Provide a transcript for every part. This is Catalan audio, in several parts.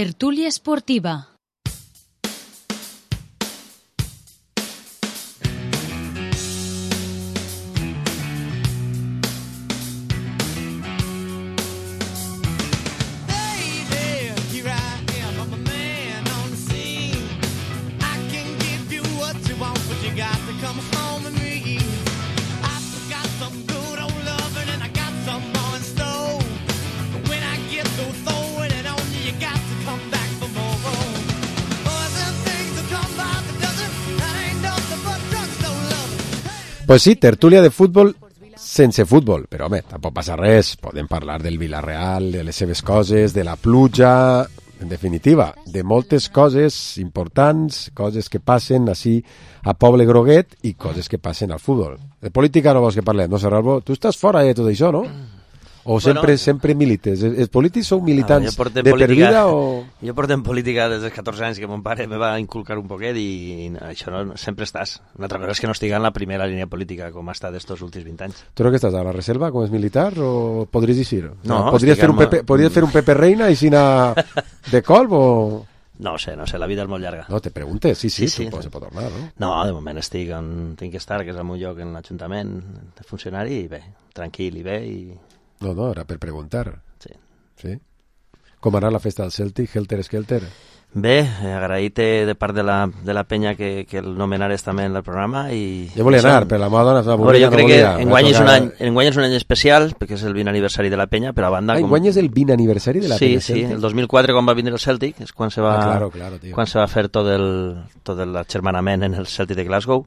Tertúlia esportiva. Pues sí, tertúlia de futbol sense futbol, però home, tampoc passa res, podem parlar del Villarreal, de les seves coses, de la pluja, en definitiva, de moltes coses importants, coses que passen així a Poble Groguet i coses que passen al futbol. De política no vols que parlem, no, Serralbo? Tu estàs fora de tot això, no? O sempre milites? Els polítics sou militants de per vida o...? Jo porto en política des dels 14 anys que mon pare me va inculcar un poquet i això no, sempre estàs. Una altra cosa és que no estigui en la primera línia política com ha estat estos últims 20 anys. Tu no que estàs a la reserva com és militar o podries dir-ho? No, podries fer un Pepe Reina i si anar de colp o...? No sé, la vida és molt llarga. No, te preguntes, sí, se pot tornar, no? No, de moment estic on tinc que estar, que és al meu lloc en l'Ajuntament de funcionari, i bé, tranquil i bé i... No, era per preguntar. Sí. Com anar a la festa del Celtic, Helter Skelter? Bé, agraït de part de la penya que el nomenares també en el programa i... Jo volia anar, però la meva dona estava avorrida. Jo crec que enguany és un any especial, perquè és el 20 aniversari de la penya, però a banda... enguany és el 20 aniversari de la penya Celtic? Sí, el 2004 quan va vindre el Celtic, és quan se va, quan se va fer tot l'agermanament en el Celtic de Glasgow.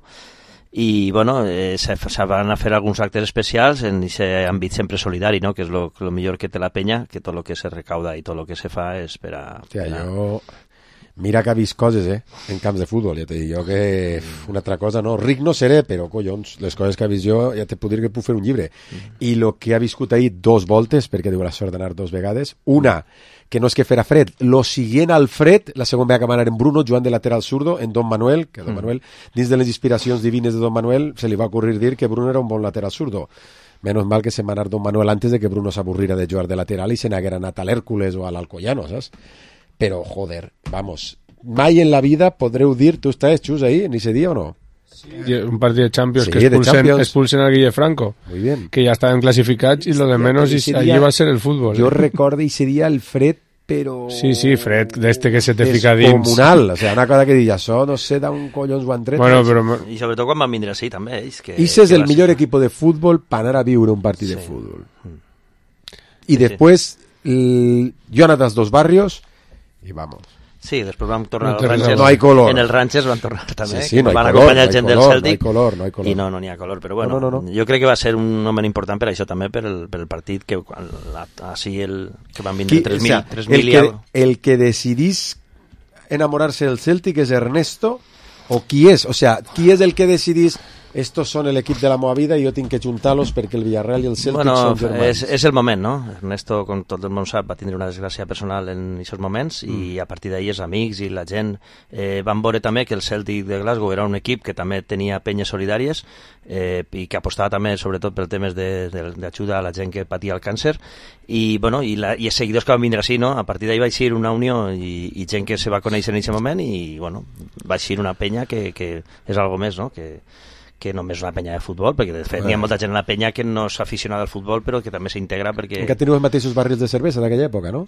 I bueno, se van a fer alguns actes especials en aquest àmbit sempre solidari, no? Que és lo millor que té la penya, que tot el que se recauda i tot el que se fa és per a... Jo... Mira que ha vist coses, en camps de futbol, ja te dic jo que una altra cosa, no, ric no seré, però collons, les coses que ha vist jo, ja te puc dir que puc fer un llibre. I el que ha viscut ahir 2 voltes, perquè he tingut la sort d'anar 2 vegades, una, que no és que fera fred, lo siguient al fred, la segona vegada que va anar en Bruno, jugant de lateral zurdo, en Don Manuel, que Don Manuel, dins de les inspiracions divines de Don Manuel, se li va ocurrir dir que Bruno era un bon lateral zurdo. Menos mal que se va anar Don Manuel antes de que Bruno s'avorrira de jugar de lateral i se n'haguera anat a l'Hèrcules o a l'Alcoyano, saps? Però, joder, vamos, mai en la vida podreu dir, tu estàs, Xus, ahí, en ese dia o no? Sí, un partit de Champions que expulsen al Guille Franco, que ja estaven classificats i lo de menos allí va ser el fútbol. Jo recordo ese dia el fred, però... Sí, fred, d'este que se te fica dins. Descomunal, o sea, una cosa que dic, això no sé d'on collons ho han tret. Bueno, però... I sobretot quan van vindre així, també. Ese és el millor equip de futbol per anar a viure un partit de futbol. I després, jo he anat als 2 barrios i vamos. Sí, després vam tornar al Ranches. No hay color. En el Ranches van tornar també. Sí, no hay van color, acompanyar gent del Celtic. No hay color. I no n'hi ha color, però bueno, no. Jo crec que va ser un moment important per això també, per el partit que així que van vindre 3.000 i algo. El que decidís enamorarse del Celtic és Ernesto, o qui és? O sea, qui és el que decidís estos son el equip de la meva vida i jo tinc que juntar-los perquè el Villarreal i el Celtic són germans. És el moment, no? Ernesto, com tot el món sap, va tindre una desgràcia personal en aquests moments i a partir d'ahir els amics i la gent van veure també que el Celtic de Glasgow era un equip que també tenia penyes solidàries i que apostava també sobretot per temes d'ajuda a la gent que patia el càncer i els seguidors que van vindre així, no? A partir d'ahir va eixir una unió i gent que se va conèixer en aquest moment i bueno, va eixir una penya que és algo més, no? Que només una penya de futbol, perquè de fet hi ha molta gent en la penya que no és aficionada al futbol però que també s'integra perquè... Encara teniu els mateixos barrils de cervesa d'aquella època, no?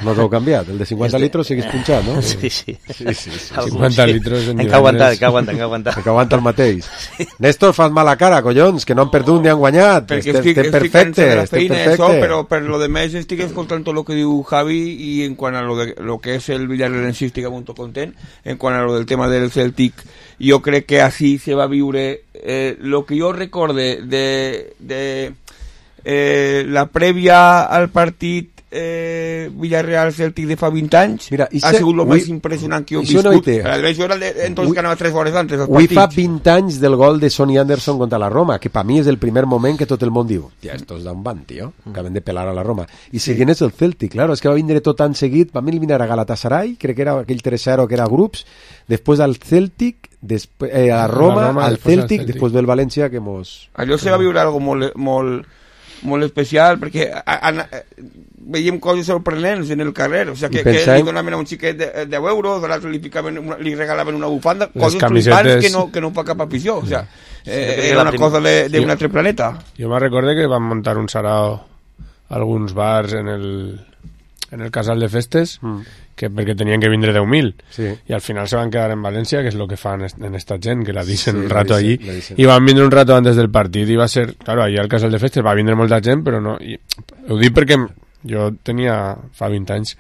No us heu canviat, el de 50 litros seguís punxat, no? Sí. 50 litros en Hem que aguantar el mateix. Néstor, fas mala cara, collons, que no han perdut ni han guanyat. Estem perfecte, però per lo de més estic escoltant tot el que diu Javi i en quant a lo que és el Villarreal estic molt content, en quant a lo del tema del Celtic, jo crec que així se va viure lo que jo recorde de la prèvia al partit Villarreal-Celtic de fa 20 anys. Mira, ha sigut el més impressionant que jo he viscut. Això era entonces que anava 3 hores antes del partit. Avui fa 20 anys del gol de Sonny Anderson contra la Roma, que per mi és el primer moment que tot el món diu tia, estos da un ban, tio, acaben de pelar a la Roma. I seguint és el Celtic, claro, és que va vindre tot tan seguit, va eliminar a Galatasaray, crec que era aquell 3-0 que era grups, després al Celtic, a Roma, al Celtic, després del València que mos... Allò se va viure algo molt molt especial, perquè veiem coses sorprenents en el carrer, o sigui, que li donaven a un xiquet 10 euros, l'altre li regalaven una bufanda, coses flipants que no fa cap afició, o sigui, era una cosa d'un altre planeta. Jo me recordo que van muntar un sarao alguns bars en el casal de festes, perquè tenien que vindre 10.000, i al final se van quedar en València, que és el que fan en esta gent, que la deixen un rato allí, i van vindre un rato antes del partit, i va ser, claro, allà al casal de festes va vindre molta gent, però no, ho dic perquè jo tenia, fa 20 anys,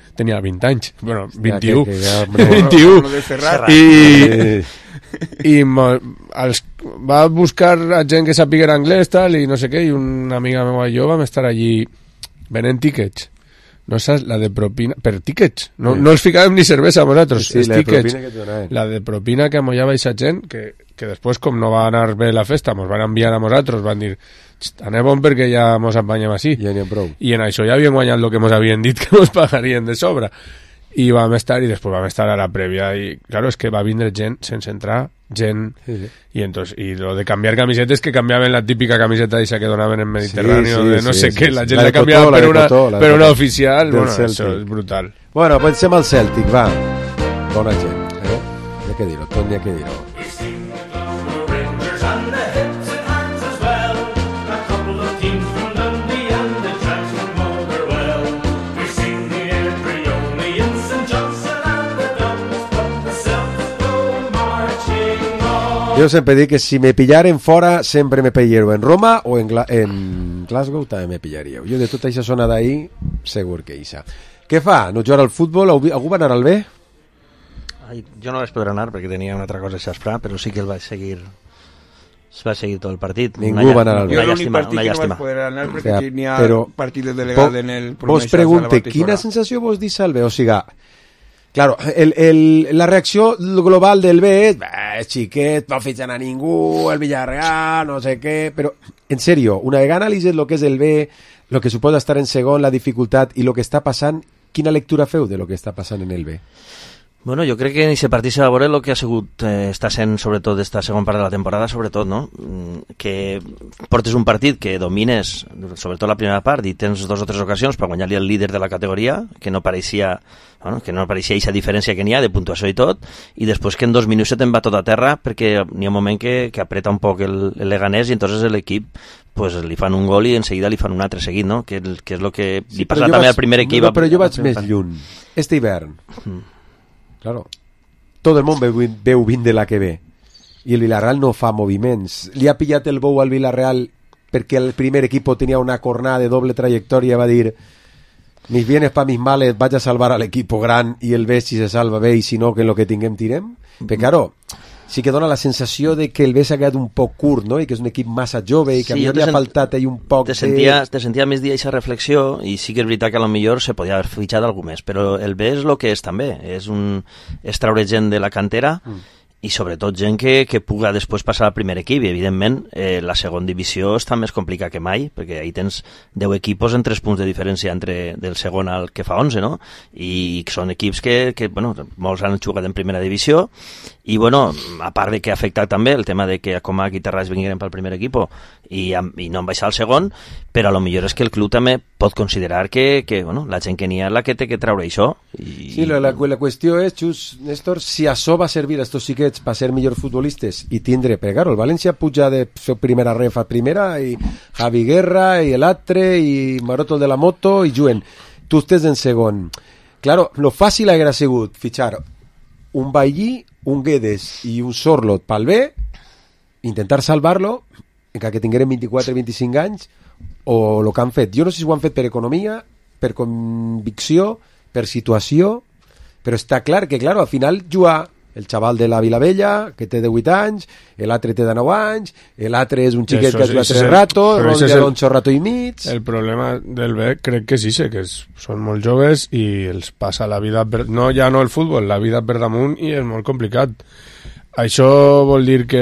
bueno, 21, 21, i va buscar a gent que sapiguera anglès, tal, i no sé què, i una amiga meva i jo vam estar allí venent tíquets. No saps, la de propina, per tíquets, no els ficàvem ni cervesa a nosaltres, els tíquets, la de propina que amollava aquesta gent, que després, com no va anar bé la festa, mos van enviar a nosaltres, van dir, anem on perquè ja mos empanyem així, i en això ja havien guanyat el que mos havien dit que mos pagarien de sobre, i vam estar, i després vam estar a la prèvia, i claro, és que va vindre gent sense entrar, y lo de cambiar camisetas, que cambiaban la típica camiseta esa que donaban en Mediterráneo, de no sé qué, la gent la cambiava per una oficial, bueno, això és brutal. Bueno, pensem al Celtic, va, bona gent, n'hi ha que dir-ho, tot n'hi ha que dir-ho. Jo sempre dic que si me pillaren fora sempre me pillareu en Roma o en Glasgow també me pillaríeu. Jo de tota aquesta zona d'ahí segur que eixa. Què fa? No jugar al futbol? Algú va anar al B? Jo no vaig poder anar perquè tenia una altra cosa a xasfrar, però sí que el vaig seguir tot el partit. Ningú va anar al B. Jo l'únic partit que no vaig poder anar perquè tenia partit de delegat en el... Vos pregunte, quina sensació vos deixa el B? O sigui, claro, la reacció global del B és xiquet, no fitxen a ningú, el Villarreal, no sé què, però, en serio, una vegada analitzes el que és el B, el que suposa estar en segon, la dificultat i el que està passant, quina lectura feu de lo que està passant en el B? Bueno, jo crec que en aquest partit se va veure el que ha sigut, està sent sobretot esta segona part de la temporada, sobretot, no? Que portes un partit que domines, sobretot la primera part, i tens 2 o 3 ocasions per guanyar-li el líder de la categoria, que no pareixia aquesta diferència que n'hi ha de puntuació i tot, i després que en 2 minuts se te'n va tot a terra perquè n'hi ha un moment que apreta un poc el Leganés i entonces l'equip pues li fan un gol i en seguida li fan un altre seguit, no? Que és el que li passa també al primer equip. No, però jo vaig més lluny. Este hivern, claro, tot el món veu vindre la que ve i el Villarreal no fa moviments. Li ha pillat el bou al Villarreal perquè el primer equip tenia una cornada de doble trajectòria, va dir mis bienes pa mis males, vaig a salvar a l'equip gran i el B si se salva bé i si no que en lo que tinguem tirem. Però claro, sí que dona la sensació de que el B s'ha quedat un poc curt, no? I que és un equip massa jove i que a mi li ha faltat ahí un poc te sentia més dia aquesta reflexió i sí que és veritat que a lo millor se podia haver fitxat algú més, però el B és el que és també, és traure gent de la cantera i sobretot gent que puga després passar al primer equip i evidentment la segona divisió està més complicada que mai perquè ahí tens 10 equipos en 3 punts de diferència entre del segon al que fa 11, no? I són equips que bueno, molts han jugat en primera divisió i bueno, a part de que ha afectat també el tema de que Comac i Terrats vingueren pel primer equip i no han baixat al segon, però a lo millor és que el club també pot considerar que bueno, la gent que n'hi ha la que té que treure això. Sí, la qüestió és, Xus, Néstor, si això va servir a estos xiquets per ser millors futbolistes i tindre, perquè claro, el València puja de fer primera ref a primera i Javi Guerra i l'altre i Maroto el de la moto i juguen. Tu estàs en segon. Claro, lo fàcil hauria sigut fitxar un Bailly, un Guedes i un Sorlot pel B, intentar salvar-lo encara que tingueren 24-25 anys o el que han fet. Jo no sé si ho han fet per economia, per convicció, per situació, però està clar que, claro, al final juga el xaval de la Vilavella, que té 18 anys, l'altre té de 9 anys, l'altre és un xiquet que ha jugat 3 ratos, un rato i mig... El problema del B crec que sí, que són molt joves i els passa la vida... ja no el futbol, la vida per damunt i és molt complicat. Això vol dir que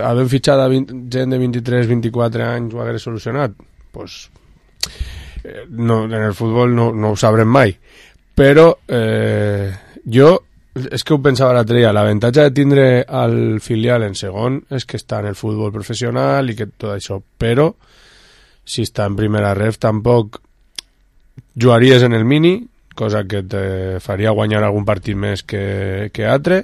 havent fitxat a gent de 23-24 anys ho hagués solucionat? Pues, no, en el futbol no ho sabrem mai. Però jo... És que ho pensava l'altre dia, l'avantatge de tindre el filial en segon és que està en el futbol professional i que tot això, però si està en primera ref tampoc jugaries en el mini, cosa que te faria guanyar algun partit més que altre,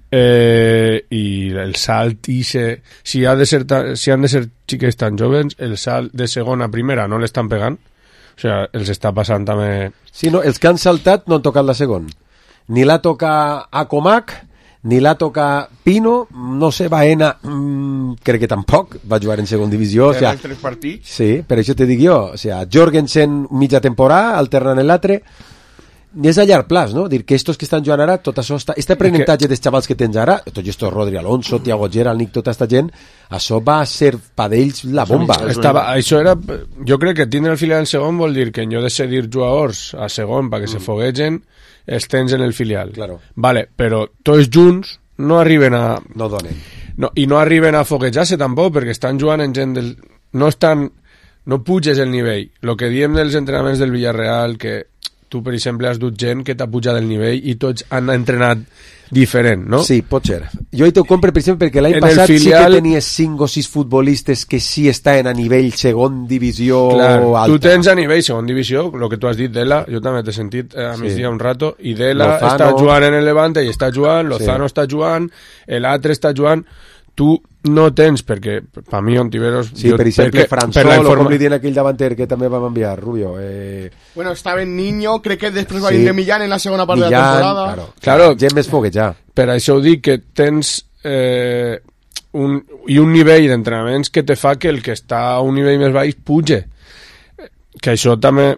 i el salt si han de ser xiques tan joves, el salt de segona a primera no l'estan pegant, o sigui, els està passant també. Sí, no, els que han saltat no han tocat la segona, ni la toca Acomac ni la toca Pino, no sé, Baena crec que tampoc va jugar en segona divisió, o sea, 3 partits. Sí, per això te dic jo, o sea, Jorgensen mitja temporada alternant l'altre, i és a llarg plaç, no? Dir que estos que estan jugant ara, tot això este aprenentatge dels xavals que tens ara, tot esto Rodri Alonso, Thiago Gerald, Nick, tota esta gent, això va ser per ells la bomba. Això era, jo crec que tindre el filial en segon vol dir que en lloc de cedir jugadors a segon perquè se foguegen, els tens en el filial. Claro. Vale, però tots junts no arriben a... No donen. No, i no arriben a foguejar-se tampoc, perquè estan jugant en gent del... No puges el nivell. El que diem dels entrenaments del Villarreal, que tu, per exemple, has dut gent que t'ha pujat el nivell i tots han entrenat diferent, no? Sí, pot ser. Jo hi t'ho compre, per exemple, perquè l'any passat filial... sí que tenies 5 o 6 futbolistes que sí estaven a nivell segon divisió alta. Tu tens a nivell segon divisió, el que tu has dit d'Ela, jo també t'he sentit a migdia un rato, i d'Ela està jugant en el Levante i està jugant, Lozano està jugant, l'altre està jugant, tu no tens, perquè per mi Ontiveros... Sí, per exemple, Fransol, o com li diuen aquell davanter que també vam enviar, Rubio. Bueno, estava en Niño, crec que després va vindre Millán en la segona part de la temporada. Claro, gent més foguejar. Per això ho dic, que tens un nivell d'entrenaments que te fa que el que està a un nivell més baix puge. Que això també...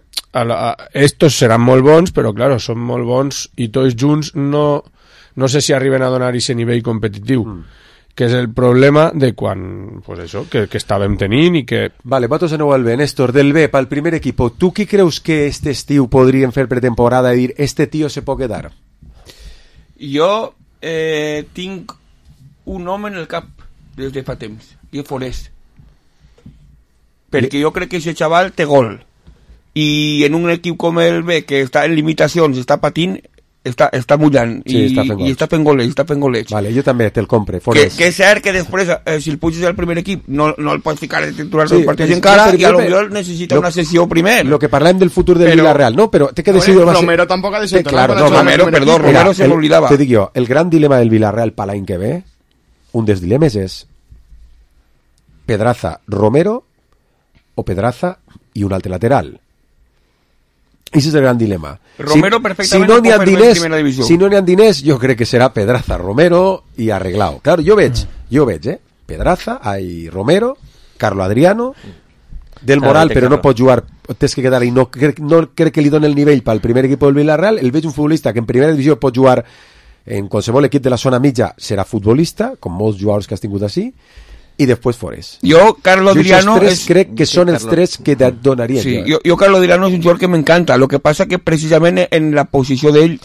Estos seran molt bons, però claro, són molt bons i tots junts no sé si arriben a donar aquest nivell competitiu. Que és el problema de quan, pues això, que estàvem tenint i que... Vale, votos de nou al B. Néstor, del B, pel primer equipo, tu qui creus que este estiu podrien fer pretemporada i dir, este tío se pot quedar? Jo tinc un home en el cap des de fa temps, i és Forest. Perquè jo crec que aquest xaval té gol. I en un equip com el B, que està en limitacions, està patint, està mullant, sí, i està fent golets. Vale, jo també te'l compre, Forest. Que és cert que després, si el puges al primer equip, no el pots ficar de titular del partit encara, i a lo millor necessita una sessió primer. Lo que parlem del futur del Villarreal, no? Però té que decidir... Romero tampoc ha de ser... Claro, Romero se m'oblidava. Te dic jo, el gran dilema del Villarreal per l'any que ve, un dels dilemes és Pedraza, Romero o Pedraza i un altre lateral. Ese és el gran dilema. Romero perfectament no pot fer en primera divisió. Si no n'hi ha diners, jo crec que serà Pedraza, Romero i arreglado. Claro, jo veig, Pedraza, Romero, Carlo Adriano, del Moral, però no pot jugar, tens que quedar i no crec que li doni el nivell pel primer equip del Villarreal. El veig un futbolista que en primera divisió pot jugar en qualsevol equip de la zona mitja, serà futbolista, com molts jugadors que has tingut així, i després Forest. Jo, Carlo Adriano... crec que són els tres que et donarien. Sí, jo Carlo Adriano és un jugador que m'encanta. Lo que passa que precisament en la posició d'ell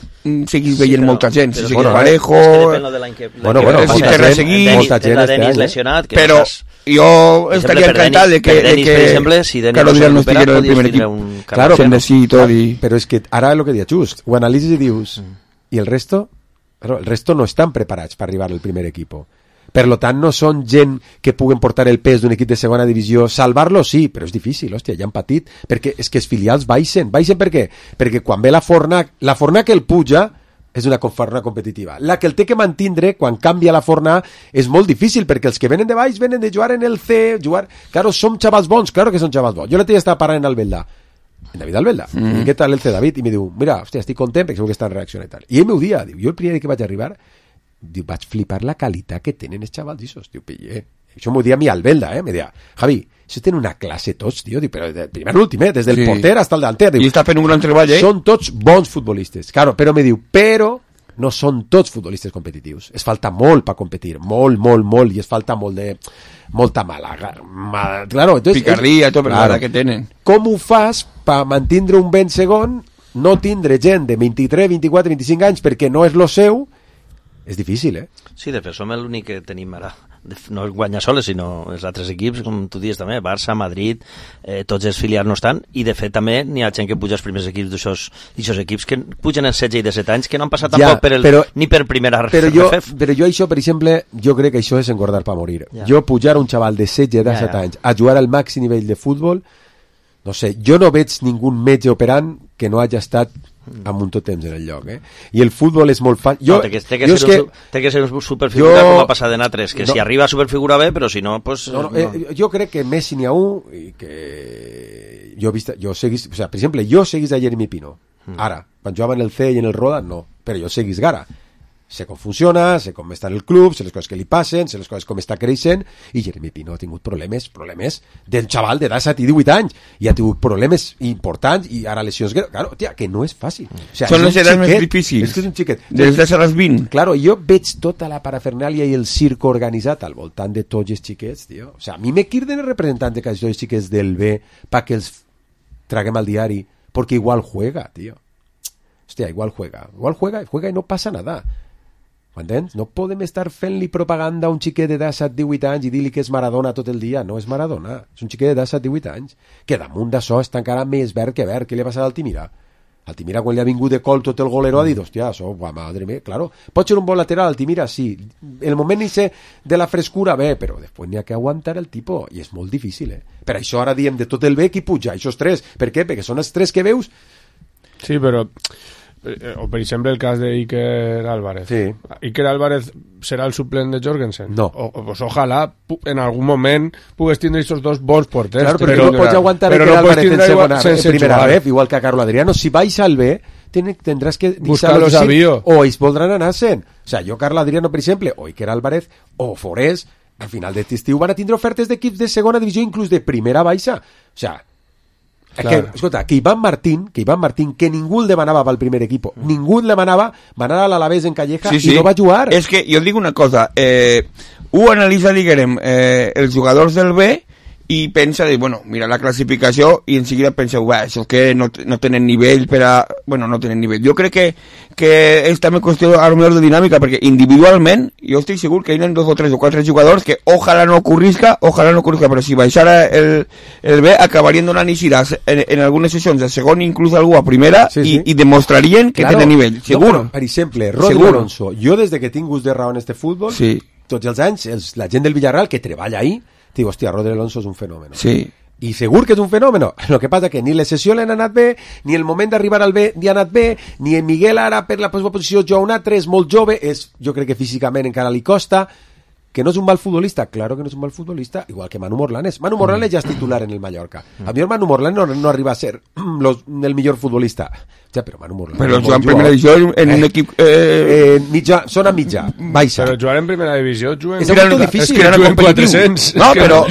seguís veient molta gent. Si seguís Parejo... Molta gent Denis lesionat. Però jo estaria encantat de que Carlo Adriano estigués en el primer equip. Claro, però és que ara el que dia just, ho analitzes i dius, i el resto no estan preparats per arribar al primer equip. Per lo tant, no són gent que puguen portar el pes d'un equip de segona divisió. Salvar-lo, sí, però és difícil, hòstia, ja han patit, perquè és que els filials baixen per què? Perquè quan ve la Forna que el puja és una forna competitiva. La que el té que mantindre, quan canvia la forna, és molt difícil, perquè els que venen de baix venen de jugar en el C, Claro, som xavals bons, claro que són xavals bons. Jo l'altre dia estava parlant en Albelda, David Albelda, i què tal el C, David? I me diu, mira, hòstia, estic content perquè segur que està en reacció i tal. I ell m'ho dia, diu, jo el primer que vaig arribar, diu, vaig flipar la qualitat que tenen els xavals d'ixos, diu, pille. Això m'ho dia a mi Albelda, me deia, Javi, això tenen una classe tots, tio, diu, però de primer a l'últim, des del porter hasta el delanter. I està fent un gran treball, Són tots bons futbolistes, claro, però me diu, però no són tots futbolistes competitius. Es falta molt per competir, molt, i es falta molta mala. Claro, entonces, picardia, tot, claro, que tenen. Com ho fas per mantindre un ben segon, no tindre gent de 23, 24, 25 anys perquè no és lo seu? És difícil, Sí, de fet, som l'únic que tenim ara no guanya soles, sinó els altres equips, com tu dius també, Barça, Madrid, tots els filials no estan, i de fet també n'hi ha gent que puja als primers equips d'aixòs equips que pugen els 16 i 17 anys, que no han passat tampoc ni per primera però jo això, per exemple, jo crec que això és engordar per morir. Jo pujar un xaval de 16 i 17 anys a jugar al màxim nivell de futbol, no sé, jo no veig ningú metge operant que no hagi estat amb un tot temps en el lloc, I el futbol és molt fàcil. Té que ser un superfigura com ha passat en altres, que si arriba a superfigura bé, però si no, pues... Jo crec que Messi n'hi ha un i que jo seguís, o sea, per exemple, jo seguís a Jeremy Pino. Ara, quan jugava en el C i en el Roda, no, però jo seguís Gara. Sé com funciona, sé com està en el club, sé les coses que li passen, sé les coses com està creixent, i Jeremy Pino ha tingut problemes del xaval de 17 i 18 anys, i ha tingut problemes importants, i ara lesions greus. Claro, tia, que no és fàcil. O sea, són les edats més difícils. És que és un xiquet. Des de les 20. Claro, jo veig tota la parafernàlia i el circo organitzat al voltant de tots els xiquets, tio. O sea, a mi me quirden els representants de cada els xiquets del B para que els traguem al diari, porque igual juega, tío. Hostia, igual juega y no pasa nada. M'entens? No podem estar fent-li propaganda a un xiquet de 17-18 anys i dir-li que és Maradona tot el dia. No és Maradona, és un xiquet de 17-18 anys que damunt d'això està encara més verd que verd. Què li ha passat a Altimira? Altimira, quan li ha vingut de col tot el golero, ha dit, hòstia, això, madre mía, claro. Pot ser un bon lateral, Altimira, sí. El moment n'hi de la frescura, bé, però després n'hi ha que aguantar el tipus, i és molt difícil, Per això ara diem de tot el bé qui puja, això és 3. Per què? Perquè són els 3 que veus. Sí, però... o per exemple el cas de Iker Álvarez. Sí. Iker Álvarez serà el suplent de Jorgensen? No. Pues ojalà en algun moment pugues tindre aquests dos bons porters. Claro, però no pots aguantar Iker Álvarez en primera ref, igual que a Carlo Adriano. Si vais al B, tendrás que buscar-los a Bio. O ells voldran anar-se'n. O sea, jo, Carlo Adriano, per exemple, o Iker Álvarez, o Forés, al final d'aquest estiu van a tindre ofertes d'equips de segona divisió, inclús de primera baixa. O sea, claro. Escolta, que Iván Martín, que ningú el demanava pel primer equip, ningú el demanava, va anar a l'Alavés en Calleja i no va jugar. És que jo dic una cosa, ho analitza, diguem, els jugadors del B i pensa, bueno, mira la classificació i en seguida pensa, això és que no tenen nivell per a... Bueno, no tenen nivell. Jo crec que és també qüestió a lo millor de dinàmica, perquè individualment jo estic segur que hi ha 2 o 3 o 4 jugadors que ojalà no ocorrisca, però si baixara el B acabarien donant ixides en algunes sessions de segon, inclús algú a primera, i demostrarien que tenen nivell, segur. No, per exemple, Rodri Alonso, jo des de que tinc gust de raó en este futbol, tots els anys, la gent del Villarreal que treballa ahí, diu, hòstia, Rodri Alonso és un fenomen. Sí. I segur que és un fenomen. El que passa que ni les sessions l'han anat bé, ni el moment d'arribar al B li ha anat bé, ni en Miguel ara per la seva posició juga un altre, és molt jove, jo crec que físicament encara li costa, que no és un mal futbolista, claro que no és un mal futbolista, igual que Manu Morlanes. Manu Morlanes ja és titular en el Mallorca. A mi Manu Morlanes no arriba a ser el millor futbolista. Ja, però Manu Morlanes... Però jugar en primera divisió en un equip... Zona mitja, baixa. Però jugar en primera divisió... És molt difícil. És que juguen 400. No, però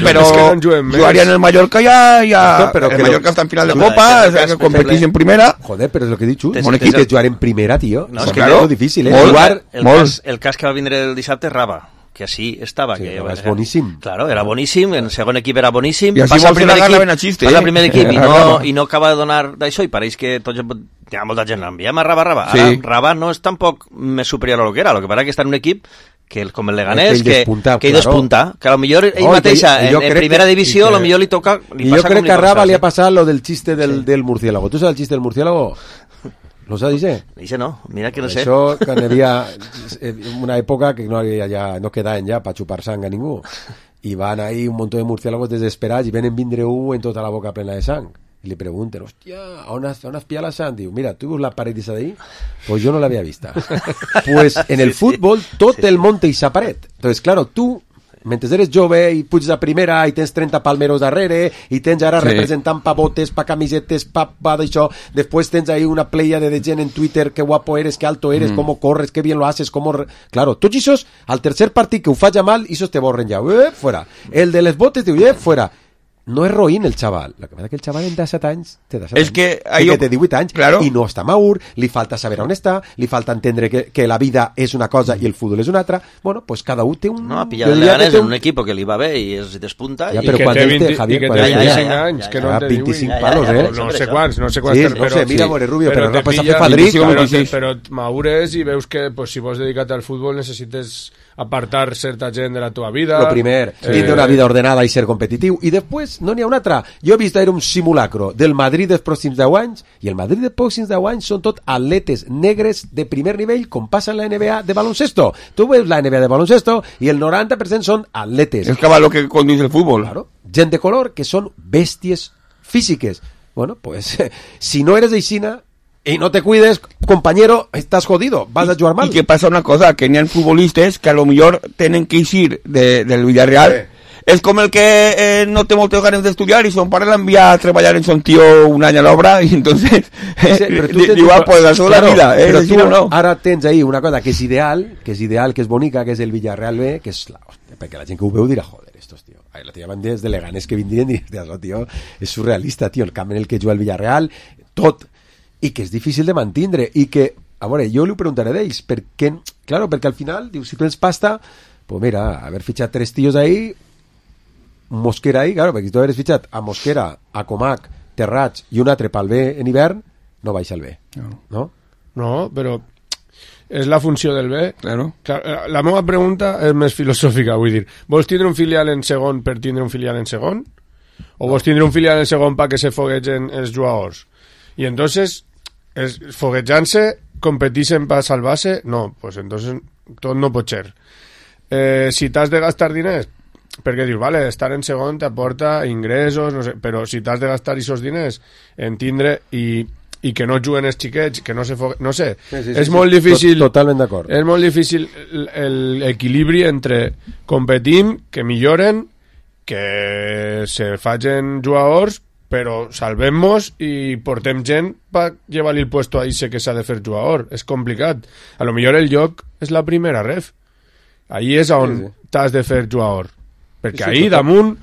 jugaria en el Mallorca ja... El Mallorca està en final de Copa, que competís en primera... Joder, però és el que he dit, un equip que jugar en primera, tio. És molt difícil, El cas que va vindre el dissabte, Raba, que així estava. Sí, que és boníssim. Claro, era boníssim, en segon equip era boníssim. I així vols agarrar ben a xiste. Passa al primer equip i no acaba de donar d'això i pareix que tots... Hi ha molta gent l'enviem a Raba. Ara, Raba no és tampoc més superior a lo que era. Lo que passa que està en un equip que com el Leganés, que ell despunta, que a lo millor ell mateixa en primera divisió, a lo millor li toca... I jo crec que a Raba li ha passat lo del xiste del murciélago. ¿Tú sabes el chiste del murciélago? ¿Lo sabes, dice? Dice no, mira que no sé. Això, quan hi havia una època que no quedaven ja per xupar sang a ningú. I van ahí un montón de murciélagos desesperats i venen vindre un en tota la boca plena de sang. Y le pregunten, hostia, ¿on has pillado la sang? Digo, mira, ¿tú ves la pared esa de ahí? Pues yo no la había vista. Pues en el fútbol tot el monte i sa paret. Entonces, claro, tú... Mentre eres jove i puges a primera i tens 30 palmeros darrere i tens ara representant pa botes, pa camisetes, pa d'això, després tens ahí una playa de gent en Twitter, que guapo eres, que alto eres, cómo corres, que bien lo haces, cómo... Claro, tots això, al tercer partit que ho falla mal, això te borren ja, fuera. El de les botes, diu, fuera. No és roïn el xaval. El que passa que el xaval en 17 anys té 17 anys. Que té 18 anys i no està maur, li falta saber on està, li falta entendre que la vida és una cosa i el futbol és una altra. Bueno, pues cada un té un... No, ha pillat el Leganés en un equip que li va bé i es despunta. Ja, però quan té, Javier, que té 25 anys, que no en té 25 palos, No sé quants, no sé, mira, More Rubio, però no pots fer fadric. Però maures i veus que si vols dedicar-te al futbol necessites apartar certa gent de la teva vida. Lo primer, tindre una vida ordenada i ser competitiu. I després, no n'hi ha una altra. Jo he vist un simulacro del Madrid dels pròxims 10 anys, i el Madrid dels pròxims 10 anys són tot atletes negres de primer nivell, com passa en la NBA de baloncesto. Tu veus la NBA de baloncesto i el 90% són atletes. Es caballo que conduce el fútbol. Claro. Gent de color que són bèsties físiques. Bueno, pues, si no eres aixina y no te cuides, compañero, estás jodido, vas a jugar mal. Y que pasa una cosa, que ni hay futbolistas que a lo mejor tienen que ir del Villarreal. Es como el que no té moltes ganes d'estudiar i son pare l'envia a treballar en son tío un any a l'obra i entonces igual pues això de la vida, però tu no. Ara tens ahí una cosa que és ideal, que és bonica, que és el Villarreal B, que és la hòstia, perquè la gent que ho veu dirà, joder, estos tío, la tía van des de Leganés que vindrien i diràs, oh, tío, és surrealista, tío, el camp en el que juga el Villarreal, tot, i que és difícil de mantindre, i que, a veure, jo li ho preguntaré d'ells, perquè, claro, perquè al final, diu, si tens pasta, pues mira, haver fitxat 3 tios ahí, Mosquera ahí, claro, perquè si tu hagués fitxat a Mosquera, a Comac, Terrats i un altre pel B en hivern, no baixa el B, no? No, però és la funció del B. Claro. La meva pregunta és més filosòfica, vull dir, vols tindre un filial en segon per tindre un filial en segon? O vols tindre un filial en segon perquè se foguegen els jugadors? I entonces, foguejant-se, competixen per salvar-se? No, pues entonces tot no pot ser. Si t'has de gastar diners, perquè dius, vale, estar en segon t'aporta ingressos, no sé, però si t'has de gastar aquests diners en tindre i que no juguen els xiquets, que no se no sé, sí, és molt difícil, totalment d'acord. És molt difícil l'equilibri entre competim, que milloren, que se facin jugadors, però salvem-nos i portem gent per llevar-li el puesto a ese que s'ha de fer jugador. És complicat. A lo millor el lloc és la primera ref. Ahí és on t'has de fer jugador. Perquè ahí damunt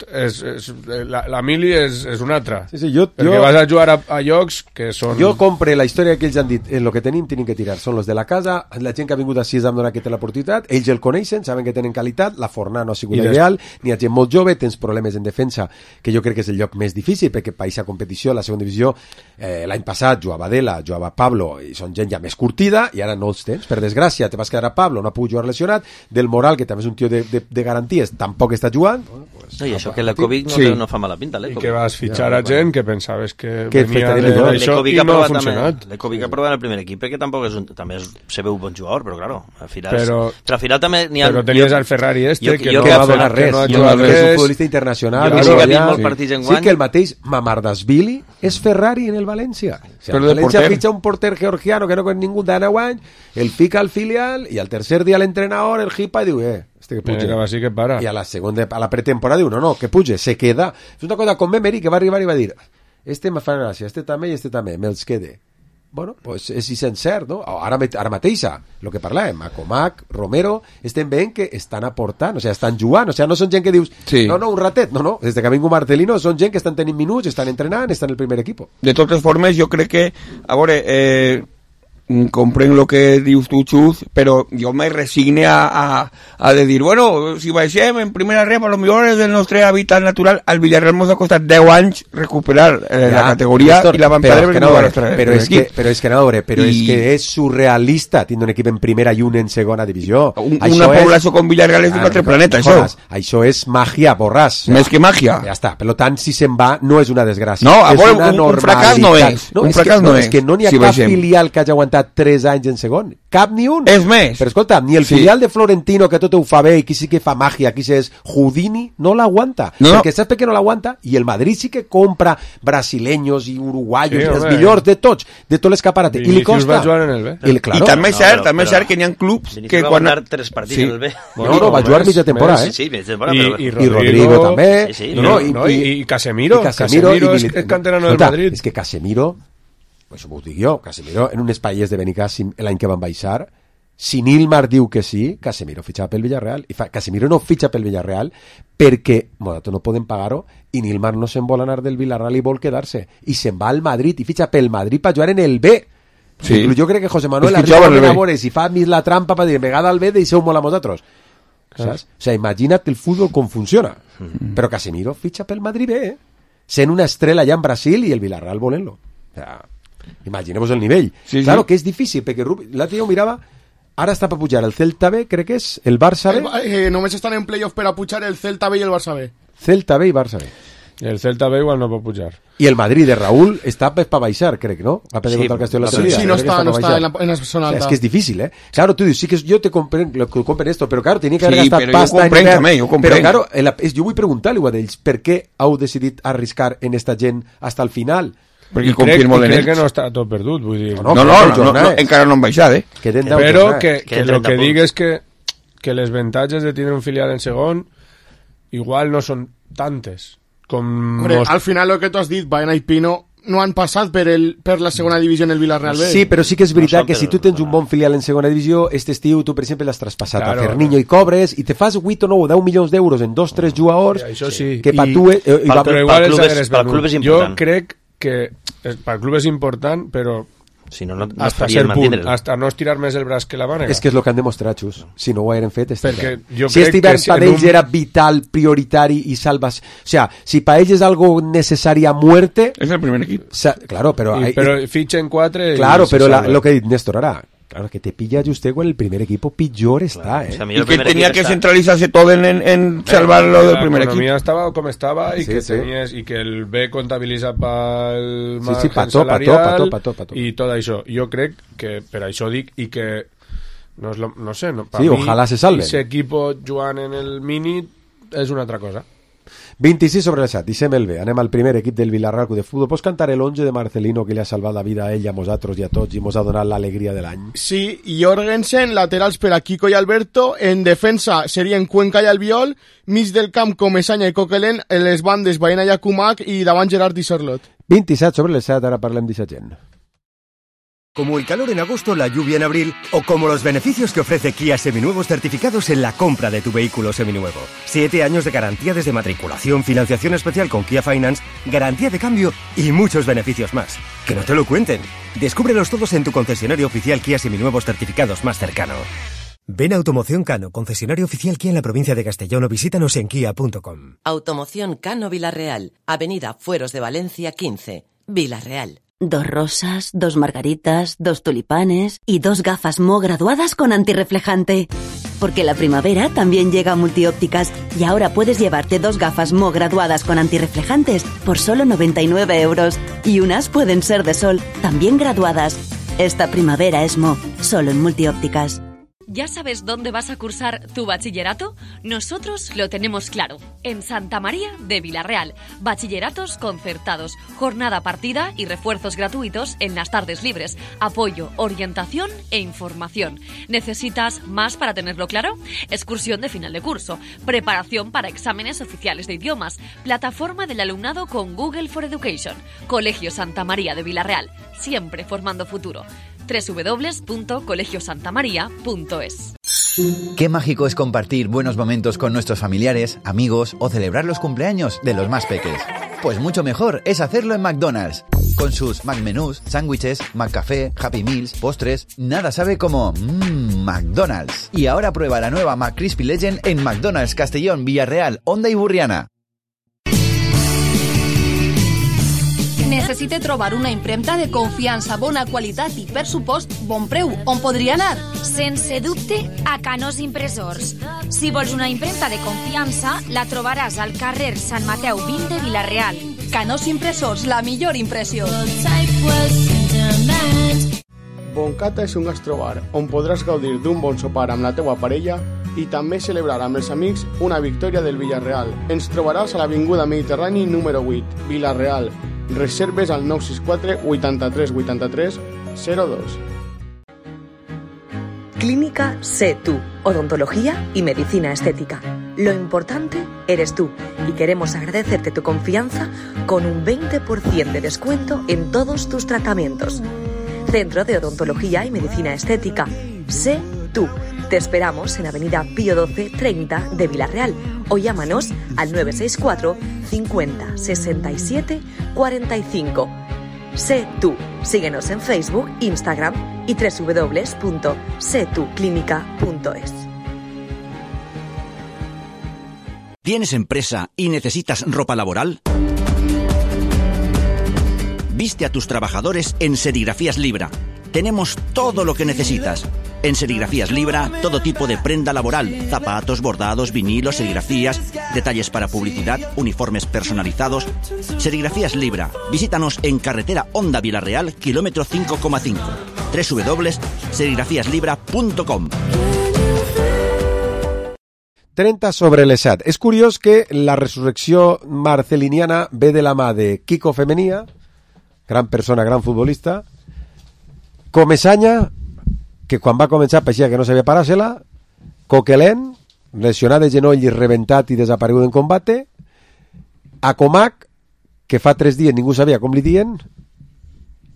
la mili és una altra. Sí, perquè vas a jugar a llocs que són... Jo compre la història que ells han dit, en lo que tenim que tirar, són los de la casa, la gent que ha vingut així amb donar aquesta l'oportunitat, ells el coneixen, saben que tenen qualitat, la fornada no ha sigut ideal, n'hi ha gent molt jove, tens problemes en defensa, que jo crec que és el lloc més difícil, perquè país a competició, la segona divisió, l'any passat jugava Adela, jugava Pablo, i són gent ja més curtida, i ara no els tens, per desgràcia, te vas quedar a Pablo, no ha pogut jugar lesionat, del Moral, que també és un tio de garanties, tampoc està jugant. Bueno, pues, no, i això que la Covid no fa mala pinta, i que vas fitxar a gent que pensaves que venia d'això i no ha funcionat. L'Ecovic ha provat en el primer equip, que tampoc és també se veu un bon jugador, però claro, al final també n'hi ha... Però tenies el Ferrari que no va donar res, és un futbolista internacional. Jo que he vist molts partits en guany. Sí que el mateix Mamardashvili és Ferrari en el València. El València fitxa un porter georgiano que no con ningú de 9 anys, el fica al filial i al tercer dia l'entrenador el hipa i diu, este que puja. Sí que para. I a la pretemporada diu, no, que puja, se queda. És una cosa com Emery, que va arribar i va dir, este me fa gràcia, este també i este també, me'ls quede. Bueno, pues és cert, no? Ara mateixa, el que parlàvem, Comac, Romero, estem veient que estan aportant, o sigui, estan jugant, o sigui, no són gent que dius, no, un ratet, no, des que ha vingut Marcelino, són gent que estan tenint minuts, estan entrenant, estan en el primer equip. De totes formes, jo crec que, a veure, comprenc lo que dius tu, Xus, però jo me resigne a de dir, bueno, si baixem en primera rep, a lo millor és el nostre hàbitat natural, al Villarreal ens ha costat 10 anys recuperar la categoria i la van perdre però és que és surrealista tindre un equip en primera i un en segona divisió. Una població com Villarreal és d'un altre planeta, això és màgia, borràs. Més que màgia. Ja està, per tant, si se'n va, no és una desgràcia. No, a veure, un fracàs no és. Un fracàs no és. És que no n'hi ha cap filial que hagi aguantat 3 anys en segon, cap ni un. És més. Però escolta, ni el filial de Florentino, que tot ho fa bé i qui sí que fa màgia, qui és Houdini, no l'aguanta. Perquè saps per què no l'aguanta? I el Madrid sí que compra brasileños i uruguayos, els millors de tots, de tot l'escaparate. I li costa. I també és cert que n'hi ha clubs que va guanyar 3 partits en el B. No, va jugar mitja temporada, Sí, mitja temporada. I Rodrigo també. I Casemiro. Casemiro és canterano del Madrid. És que Casemiro, això m'ho dic jo, Casemiro en un espai de Benicàssim l'any que van baixar, si Nilmar diu que sí, Casemiro fitxa pel Villarreal, i Casemiro no fitxa pel Villarreal perquè Modato no poden pagar-ho i Nilmar no se'n vol anar del Villarreal i vol quedar-se, i se'n va al Madrid i fitxa pel Madrid per jugar en el B. Sí. Jo crec que José Manuel arriba a veure si fa més la trampa per dir, vegada al B deixeu molt a vosaltres. Saps? O sigui, imagina't el futbol com funciona. Però Casemiro fitxa pel Madrid B, sent una estrella allà en Brasil i el Villarreal volent-lo. O sea, imaginemos el nivell. Claro que és difícil, perquè l'altre dia ho mirava, Ara està per pujar el Celta B, crec que és, el Barça B. Només estan en playoff per a pujar el Celta B i el Barça B. Celta B i Barça B. El Celta B igual no pot pujar. I el Madrid de Raúl està per baixar, crec, ¿no? Va perder contra el Castelló la salida. Sí, no está en la zona alta. Es que es difícil, ¿eh? Claro, tú dices, sí que yo te comprendo esto, pero claro, tenía que haber gastat pasta en hivern. Però claro, jo vull preguntar-li a ells, per què heu decidit arriscar en esta gent hasta el final? Perquè crec que no està tot perdut, vull dir. No, encara no han baixat, eh? Però que el que dic és que les avantatges de tindre un filial en segon igual no són tantes. Hombre, al final lo que tú has dit, Baena i Pino no han passat per la segona divisió en el Villarreal B. Sí, però sí que és veritat que si tu tens un bon filial en segona divisió, este estiu tu, per exemple, l'has traspassat a Ferniño i cobres i te fas 8 o 9 o 10 milions d'euros en 2 o 3 jugadors que per tu... Però igual el club és important. Jo crec que pel club és important, però si no hasta cert punt, hasta no estirar més el braç que la mànega. És que és el que han demostrat, Xus. Si no ho hagueren fet, si este hivern per ells era vital, prioritari i salvas... O sea, si per ells és algo necessari a muerte... És el primer equip. Claro, però... Però fitxen 4... Claro, però lo que ha dit Néstor ara... Claro, que te pilla usted con el primer equipo pitjor está, ¿eh? O sea, y que tenía que centralizarse todo en salvarlo del primer equipo. La economía estaba como estaba y y que el B contabiliza para el margen salarial y todo eso. Yo creo que per això dic i que no sé, ojalá se salven. Ese equipo jugant en el mini és una altra cosa. 26 sobre el 7, deixem el B. Anem al primer equip del Villarreal de Futbol. Pots cantar el 11 de Marcelino que li ha salvat la vida a ell, a nosaltres i a tots i mos ha donat l'alegria de l'any? Sí, Jorgensen, laterals per a Kiko i Alberto, en defensa serien Cuenca i Albiol, mig del camp Comesaña i Coquelin, en les bandes Baena i Akumak i davant Gerard i Sorlot. 27 sobre el 7, ara parlem d'aquesta gent. Como el calor en agosto, la lluvia en abril, o como los beneficios que ofrece Kia Seminuevos certificados en la compra de tu vehículo seminuevo. 7 años de garantía desde matriculación, financiación especial con Kia Finance, garantía de cambio y muchos beneficios más. Que no te lo cuenten. Descúbrelos todos en tu concesionario oficial Kia Seminuevos certificados más cercano. Ven a Automoción Cano, concesionario oficial Kia en la provincia de Castellón, o visítanos en kia.com. Automoción Cano Villarreal, Avenida Fueros de Valencia 15, Villarreal. 2 rosas, 2 margaritas, 2 tulipanes y 2 gafas Mo graduadas con antirreflejante. Porque la primavera también llega a Multiópticas y ahora puedes llevarte 2 gafas Mo graduadas con antirreflejantes por solo 99 euros. Y unas pueden ser de sol, también graduadas. Esta primavera es Mo, solo en Multiópticas. ¿Ya sabes dónde vas a cursar tu bachillerato? Nosotros lo tenemos claro. En Santa María de Villarreal. Bachilleratos concertados, jornada partida y refuerzos gratuitos en las tardes libres. Apoyo, orientación e información. ¿Necesitas más para tenerlo claro? Excursión de final de curso. Preparación para exámenes oficiales de idiomas. Plataforma del alumnado con Google for Education. Colegio Santa María de Villarreal. Siempre formando futuro. www.colegiosantamaria.es. Qué mágico es compartir buenos momentos con nuestros familiares, amigos o celebrar los cumpleaños de los más peques. Pues mucho mejor es hacerlo en McDonald's. Con sus McMenús, sándwiches, McCafé, Happy Meals, postres, nada sabe como McDonald's. Y ahora prueba la nueva McCrispy Legend en McDonald's Castellón, Villarreal, Onda i Burriana. Necessite trobar una impremta de confiança, bona qualitat i, per supost, bon preu. On podria anar? Sense dubte, a Canós Impressors. Si vols una impremta de confiança, la trobaràs al carrer Sant Mateu 20 de Vila-real. Canós Impressors, la millor impressió. Boncata és un gastrobar on podràs gaudir d'un bon sopar amb la teua parella i també celebrar amb els amics una victòria del Villarreal. Ens trobaràs a l'Avinguda Mediterrani número 8, Vila-real. Reserves al 964 83 83 02. Clínica Sé Tú, odontología y medicina estética. Lo importante eres tú y queremos agradecerte tu confianza con un 20% de descuento en todos tus tratamientos. Centro de Odontología y Medicina Estética. Sé Tú. Te esperamos en Avenida Pío 12 30 de Villarreal o llámanos al 964 50 67 45. Sé Tú. Síguenos en Facebook, Instagram y www.setuclinica.es. ¿Tienes empresa y necesitas ropa laboral? Viste a tus trabajadores en Serigrafías Libra. Tenemos todo lo que necesitas. En Serigrafías Libra, todo tipo de prenda laboral, zapatos, bordados, vinilos, serigrafías, detalles para publicidad, uniformes personalizados. Serigrafías Libra. Visítanos en carretera Honda Vilareal, kilómetro 5,5. www.serigrafiaslibra.com. 30 sobre les 7. És curiós que la resurrecció marceliniana ve de la mà de Quico Femenia, gran persona, gran futbolista, Comesaña, que quan va començar pareixia que no sabia parar-se-la, Coquelin, lesionat de genoll i rebentat i desaparegut en combate, Acomac, que fa 3 dies ningú sabia com li dien,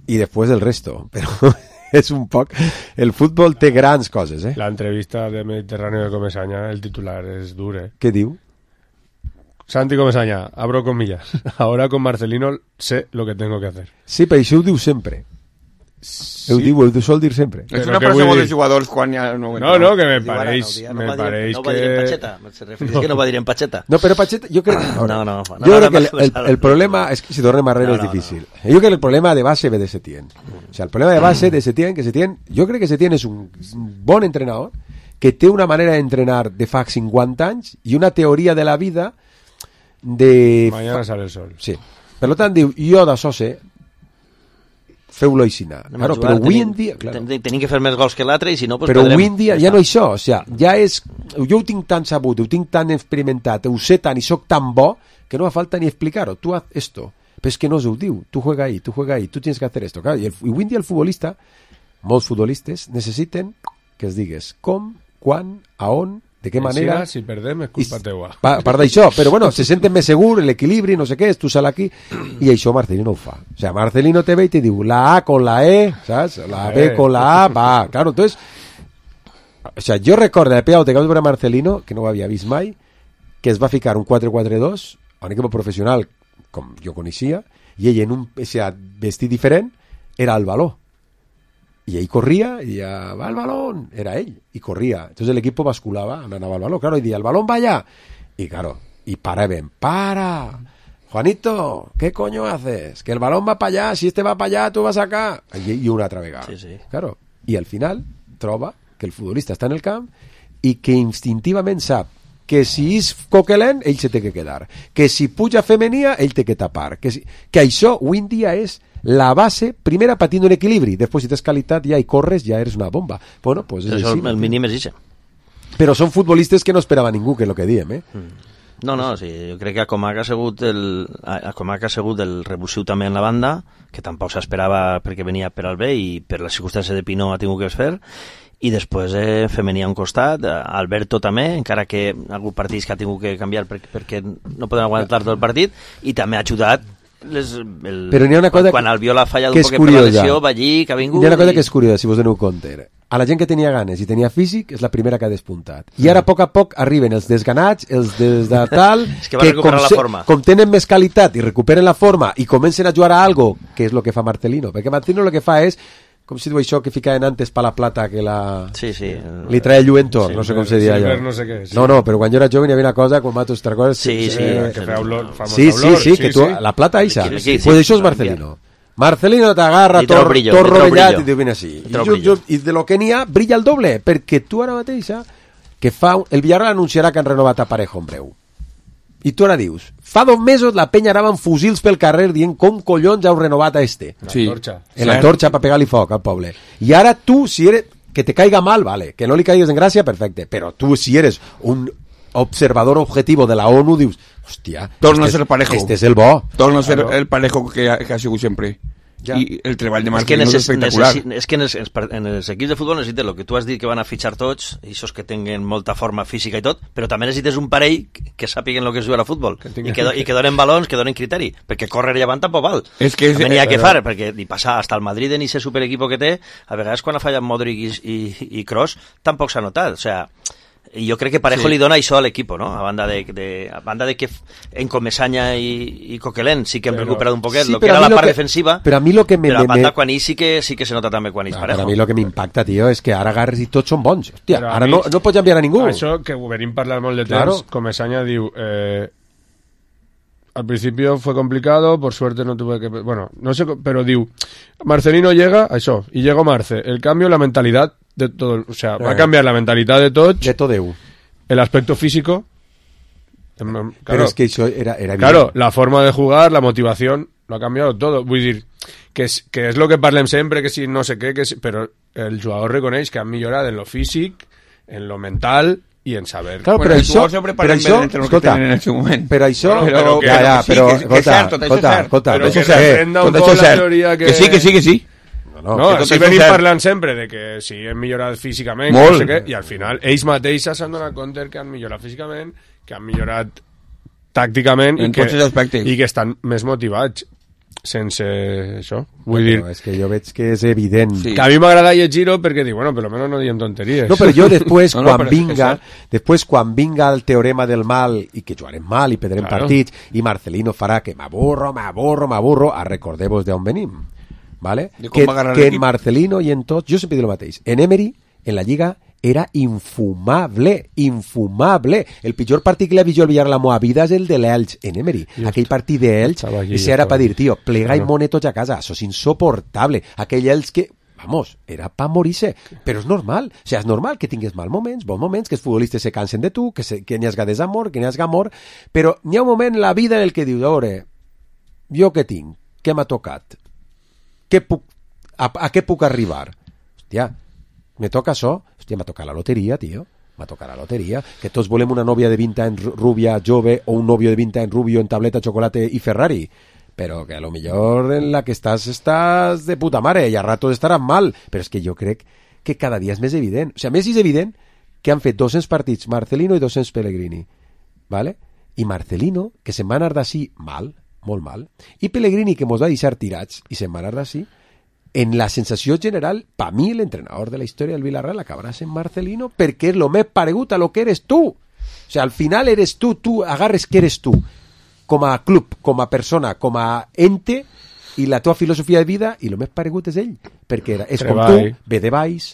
i després el resto. Però és un poc... El futbol té grans coses, eh? La entrevista de Mediterráneo de Comesaña, el titular és dur, eh? Què diu? Santi Comesaña, abro comillas. Ahora con Marcelino sé lo que tengo que hacer. Sí, però això ho diu sempre. Sí. Ho sol dir sempre. És una frase molt de jugadors quan ja... No, que me pareix que... No va dir en Pacheta, se refereix que no va dir en Pacheta. No, però Pacheta, jo crec... No, jo crec que el problema és que si tornem a arrere és difícil. Jo crec que el problema de base ve de Setién. O sea, el problema de base de Setién, que Setién, jo crec que Setién és un bon entrenador que té una manera d'entrenar de fa 50 anys i una teoria de la vida de... Mañana sale el sol. Sí. Per tant, diu, jo d'això sé, feu-lo aixina. Claro, però avui en dia... Claro. Tenim que fer més gols que l'altre i si no, pues però perdrem. avui en dia ja no això, o sea, ja és... Jo ho tinc tan sabut, ho tinc tan experimentat, ho sé tant i soc tan bo que no fa falta ni explicar-ho. Tu haz esto. Però és que no se ho diu. Tu juega ahí, tu tienes que hacer esto. Claro, i avui en dia el futbolista, molts futbolistes, necessiten que es digues com, quan, a on, de què manera... Si perdem és culpa teua. Part d'això, però bueno, se senten més segur, l'equilibri, no sé què, tu sal aquí, i això Marcelino ho fa. O sea, Marcelino te ve i te diu la A con la E, ¿sabes? La B con la A, va, claro, entonces... O sea, jo recordo de Peau, que vaig veure Marcelino, que no ho havia vist mai, que es va ficar un 4-4-2 a un equip professional, com jo coneixia, i ell en un vestit diferent era el baló. Y ahí corría y ya va el balón, era él, y corría. Entonces el equipo basculaba, andaba al balón, claro, y decía, el balón va allá. Y claro, y ven, para, Juanito, ¿qué coño haces? Que el balón va para allá, si este va para allá, tú vas acá. Y una altra vegada. Sí. Claro, y al final troba que el futbolista està en el camp i que instintivament sap que si és Coquelin, ell se té que quedar. Que si puja Femenia, ell té que tapar. Que això, avui en dia, és la base, primera patint un equilibri, després si tens qualitat ja i corres, ja eres una bomba. Bueno, pues és així. El mínim és això. Però són futbolistes que no esperava ningú, que és el que diem, eh? No, sí, jo crec que Acomac ha sigut el revulsiu també en la banda, que tampoc s'esperava perquè venia per al bé i per la circumstància de Pinó ha tingut que fer, i després Femení a un costat, Alberto també, encara que algun partit que ha tingut que canviar perquè no poden aguantar tot el partit, i també ha ajudat però n'hi ha una cosa quan Albiol ha fallat un poc per la lesió, va allí, que ha vingut... Hi ha una cosa que és curiosa, si vos doneu compte. A la gent que tenia ganes i tenia físic és la primera que ha despuntat. I ara a poc arriben els desganats, els de tal... És que va recuperar la forma. Com tenen més qualitat i recuperen la forma i comencen a jugar a algo, que és el que fa Marcelino. Perquè Marcelino el que fa és, com si diu això que ficaven antes pa la plata que la... Sí. Li trae el lluentor, no sé com se deia allò. No sé què. Sí. No, però quan jo era jove hi havia una cosa, com matos otra cosa... Sí. Que fa olor, sí, que tu... La plata eixa. Pues això és Marcelino. Marcelino t'agarra tot rovellat i diu, vine així. I de lo que n'hi ha, brilla el doble, perquè tu ara mateixa, que fa... El Villarreal anunciarà que han renovat a Parejo en breu. I tu ara dius, fa 2 mesos la penya anava amb fusils pel carrer dient com collons heu renovat a este. En l'antorxa per pegar-li foc al poble. I ara tu, si eres... Que te caiga mal, vale. Que no li caigues en gràcia, perfecte. Però tu, si eres un observador objetivo de la ONU, dius, hòstia, torna a ser Parejo. Este és el bo. Torna a ser el Parejo que ha sigut sempre. Ja. I el treball de Marcelino és espectacular. És que en els equips de futbol necessites el que tu has dit que van a fitxar tots, i això que tenen molta forma física i tot, però també necessites un parell que sàpiguen el que és jugar a futbol i que donen balons, que donen criteri, perquè córrer i avant tampoc val. També n'hi ha que fer, perquè ni passar hasta el Madrid en ese superequipo que té, a vegades quan ha fallat Modric i Kroos tampoc s'ha notat, o sea, i jo crec que Parejo li dona això a l'equip, no? A banda de que en Comesaña i Coquelin sí que hem recuperat un poquet, que era la part defensiva, però a mi lo que però a banda quan ell sí que se nota també quan ell Parejo. A mi el que m'impacta, tio, és que ara agarres i tots són bons. Hòstia, ara no pots enviar a ningú. Això que ho venim parlant molt de temps, Comesaña diu... Al principio fue complicado, por suerte no tuve que... Bueno, no sé, pero diu, Marcelino llega, eso, y llegó Marce. El cambio, la mentalidad de todo, o sea, va a cambiar la mentalidad de tots. De todo. El aspecto físico. Claro, pero es que eso era claro, la forma de jugar, la motivación, lo ha cambiado todo. Vull dir, que és lo que parlem sempre, que si no sé què, però el jugador reconeix que ha millorat en lo físic, en lo mental i en saber. Claro, bueno, però això, escolta, en el seu moment. Però això, però escolta, però que s'aprenda un poc la teoria que sí. No, així venim parlant sempre de que si hem millorat físicament, no sé què, i al final ells mateixos s'han donat compte que han millorat físicament, que han millorat tàcticament i que estan més motivats sense això. Vull dir... És que jo veig que és evident. Sí. Que a mi m'agrada llegir-ho perquè dic, bueno, per lo menos no diem tonteries. No, però jo després, quan vinga el teorema del mal i que jugarem mal i perdrem partits i Marcelino farà que m'avorro, recordeu-vos d'on venim. ¿Vale? Que en Marcelino y en tots, yo siempre digo lo mateix, en Emery, en la Lliga, era infumable. El pitjor partit que l'ha vist jo al Villarreal a la vida és el de l'Elx en Emery. Aquell partit d'Elx, ese era per dir, tío, plega i mone tots a casa, això és insoportable. Aquell Elx que, vamos, era pa morir-se, però és normal. O sigui, és normal que tingues mal moments, bons moments, que els futbolistes se cansen de tu, que n'hi hagi desamor, que n'hi hagi amor, però n'hi ha un moment en la vida en el que dius, jo què tinc? Què m'ha tocat? ¿A qué puc arribar? Hòstia, me toca això? Hòstia, m'ha tocat la loteria, tio. M'ha tocat la loteria. Que tots volem una nòvia de 20 anys rubia, jove, o un novio de 20 anys rubio en tableta, chocolate i Ferrari. Però que a lo millor en la que estàs de puta mare i a ratos estaràs mal. Però és que jo crec que cada dia és més evident. O sigui, a més és evident que han fet 200 partits Marcelino i 200 Pellegrini. ¿Vale? I Marcelino, que se'n va anar d'ací mal, molt mal, i Pellegrini, que mos va deixar tirats i se'n va anar d'ací, en la sensació general, pa mi l'entrenador de la història del Villarreal acabarà sent Marcelino perquè és lo més paregut a lo que eres tu. O sigui, al final eres tu agarres que eres tu, com a club, com a persona, com a ente, i la teva filosofia de vida, i lo més paregut és ell, perquè és com tu, ve de baix,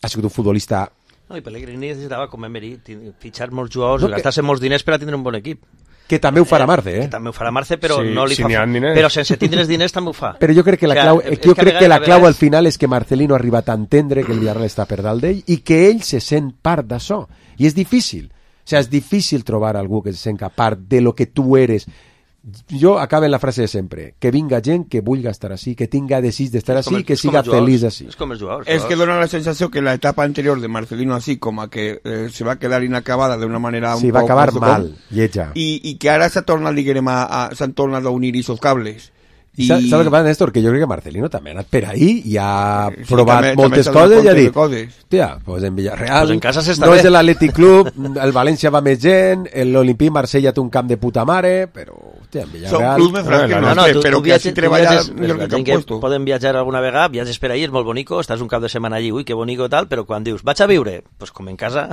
ha sigut un futbolista... No, i Pellegrini necessitava, com Emery, fitxar molts jugadors, gastar-se molts diners per a tindre un bon equip. Que també ho farà Marce, Que també ho farà Marce, però sí, no li si fa... Però sense tindre els diners també ho fa. Però jo crec que la clau al final és que Marcelino ha arribat a entendre que el Villarreal està per dalt d'ell i que ell se sent part d'això. I és difícil. O sigui, és difícil trobar algú que se sent part de lo que tu eres. Jo acabo en la frase de sempre, que vinga gent que vulgui estar així, que tinga desig d'estar així, que siga feliç així. És com els jugadors. És que dona la sensació que la etapa anterior de Marcelino así, com que se va quedar inacabada de una manera sí, va acabar mal, lletja. I que ara s'han tornat a unir esos cables. I... Saps el que passa, Néstor? Que jo crec que Marcelino també ha anat per ahí i ha provat moltes coses i ha dit, hòstia, pues en Villarreal pues en casa no és l'Atlètic Club, el València va més gent, l'Olimpí Marsella té un camp de puta mare, però hòstia, en Villarreal... Són clubs més francs, però que així treballa millor que han puesto. Poden viatjar alguna vegada, viatges per ahí, és molt bonico, estàs un cap de setmana allí, ui, que bonico tal, però quan dius, vaig a viure, pues com en casa,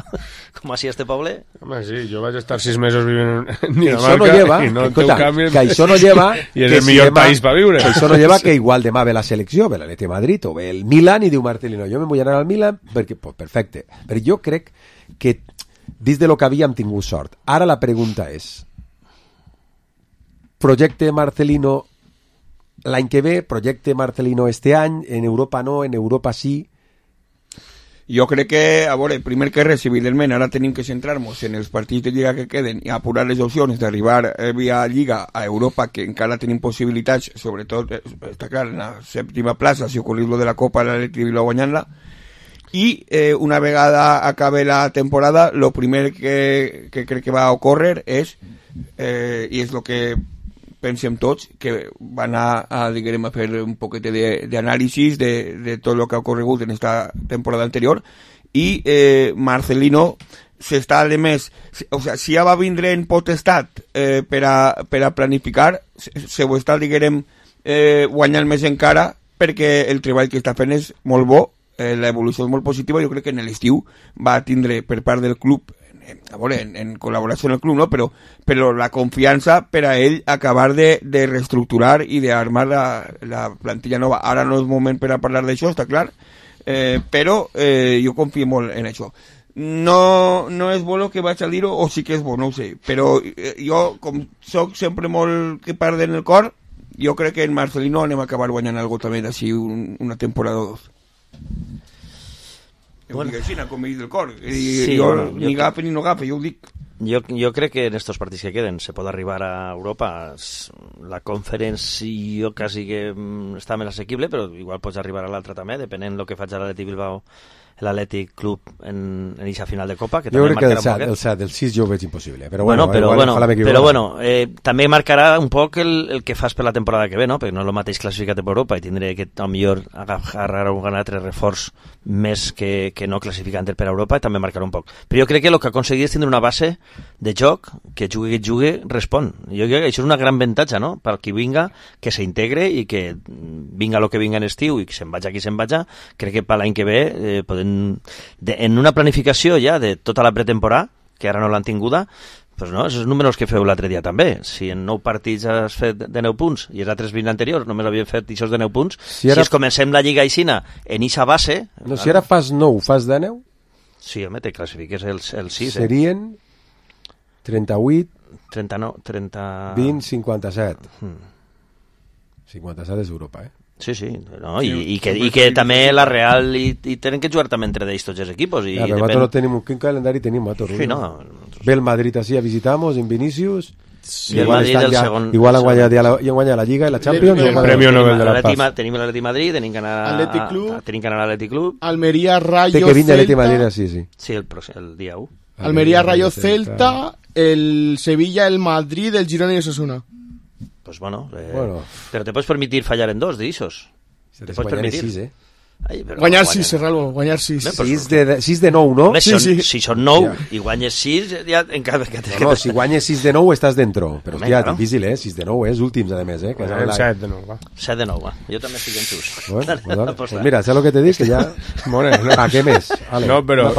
com així a este poble... Home, sí, jo vaig estar 6 mesos vivint en Dinamarca i no té un canvi... Que això no lleva... I és el millor país per viure. Això no lleva que igual demà ve la selecció, ve l'Atleti de Madrid o ve el Milan i diu Marcelino, jo me vull anar al Milan perquè, pues, perfecte. Però jo crec que dins de lo que havíem tingut sort. Ara la pregunta és, projecte Marcelino l'any que ve, projecte Marcelino este any, en Europa no, en Europa sí. Jo crec que, a veure, primer que res, evidentment, ara tenim que centrar-nos en els partits de Lliga que queden i apurar les opcions d'arribar via Lliga a Europa, que encara tenim possibilitats, sobretot, està clar, en la 7ª plaça, si ocorrís lo de la Copa, l'Atlètic Bilbao guanyant-la, i una vegada acabe la temporada, lo primer que crec que va a ocórrer és, i és el que pensem tots, que van a diguem, a fer un poquet d'anàlisis de tot el que ha ocorregut en esta temporada anterior, i Marcelino s'està, a més, o sea, si ja va vindre en potestat per a planificar, se ho està, diguem, guanyant més encara, perquè el treball que està fent és molt bo, l'evolució és molt positiva. Jo crec que en l'estiu va tindre per part del club, a veure, en col·laboració amb el club, no? però la confiança per a ell acabar de reestructurar i d'armar la plantilla nova. Ara no és moment per a parlar d'això, està clar, però jo confio molt en això. No és bo que vaig a dir-ho, o sí que és bo, no ho sé, però jo, com soc sempre molt que part en el cor, jo crec que en Marcelino anem a acabar guanyant algo també d'ací una temporada o dos. Ho dic així, com he dit el cor. Ni gafe ni no gafe, jo ho dic. Jo crec que en estos partits que queden se pot arribar a Europa. La Conference jo quasi que està més assequible, però igual pots arribar a l'altra també, depenent del que faig a l'Atlètic Bilbao, l'Atlètic Club en eixa final de Copa, que jo també crec marcarà que el 6 jo ho veig impossible, però també marcarà un poc el que fas per la temporada que ve, no? Perquè no és el mateix classificat per Europa i tindré que millor agarrar un altre reforç més que no classificant per Europa, i també marcarà un poc. Però jo crec que el que aconseguir és tindre una base de joc que jugui respon. Jo crec que això és una gran avantatge, no? Per qui vinga, que s'integre i que vinga el que vinga en estiu i que se'n vaja qui se'n vaja. Crec que per l'any que ve podem en una planificació ja de tota la pretemporada, que ara no l'han tinguda, pues no, esos números que feu l'altre dia també. Si en 9 partits has fet de 9 punts i els altres 20 anteriors només havien fet aquests de 9 punts, si comencem la Lliga Aixina en eixa base... No, si ara fas 9, fas de 9? Sí, home, te classifiques el 6. Serien 38... 39... 20, 57. 57 és Europa, Sí, no? I que també la Real i tenen que jugar també entre ells tots els equipos. Però nosaltres no tenim un calendari, tenim nosaltres. Sí, no. Ve el Madrid així a visitamos, en Vinicius... Sí, el Madrid el segon... Igual han guanyat la Lliga i la Champions. El Premio Nobel de la Paz. Tenim l'Atlètic Madrid, tenim que anar a l'Atlètic Club. Almeria, Rayo, Celta... Té que vindre l'Atlètic Madrid, sí. Sí, el dia 1. Almeria, Rayo, Celta, el Sevilla, el Madrid, el Girona i Osasuna. Pues bueno, pero te puedes permitir fallar en 2 de esos. Te puedes permitir. Guanyar 6, Ralbo, guanyar 6. 6 de 9, no? Si són 9 i guanyes 6, ja encara... No, si guanyes 6 de 9 estàs dentro. Però hòstia, difícil, 6 de 9, últims, a més, 7 de 9, va. 7 de 9, va. Jo també estic en sus. Bueno, pues mira, ¿sabes lo que te dic? Que ya... ¿A qué mes? No, pero...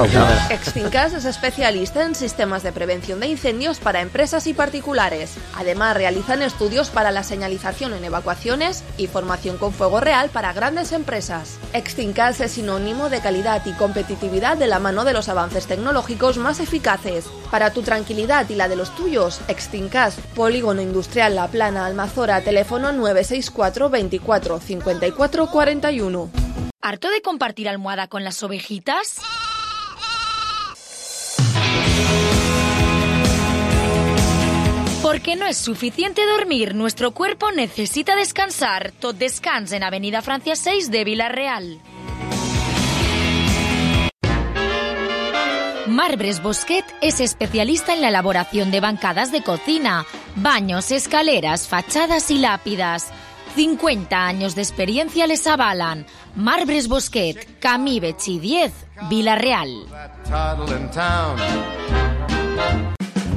Extincas es especialista en sistemas de prevención de incendios para empresas y particulares. Además, realizan estudios para la señalización en evacuaciones y formación con fuego real para grandes empresas. Extincas es sinónimo de calidad y competitividad de la mano de los avances tecnológicos más eficaces. Para tu tranquilidad y la de los tuyos, Extincas, Polígono Industrial La Plana, Almazora, teléfono 964 24 54 41. ¿Harto de compartir almohada con las ovejitas? Porque no es suficiente dormir, nuestro cuerpo necesita descansar. Tot Descans en Avenida Francia 6 de Vila-real. Marbres Bosquet es especialista en la elaboración de bancadas de cocina, baños, escaleras, fachadas y lápidas. 50 años de experiencia les avalan. Marbres Bosquet, Camí Betxí 10, Vila-real.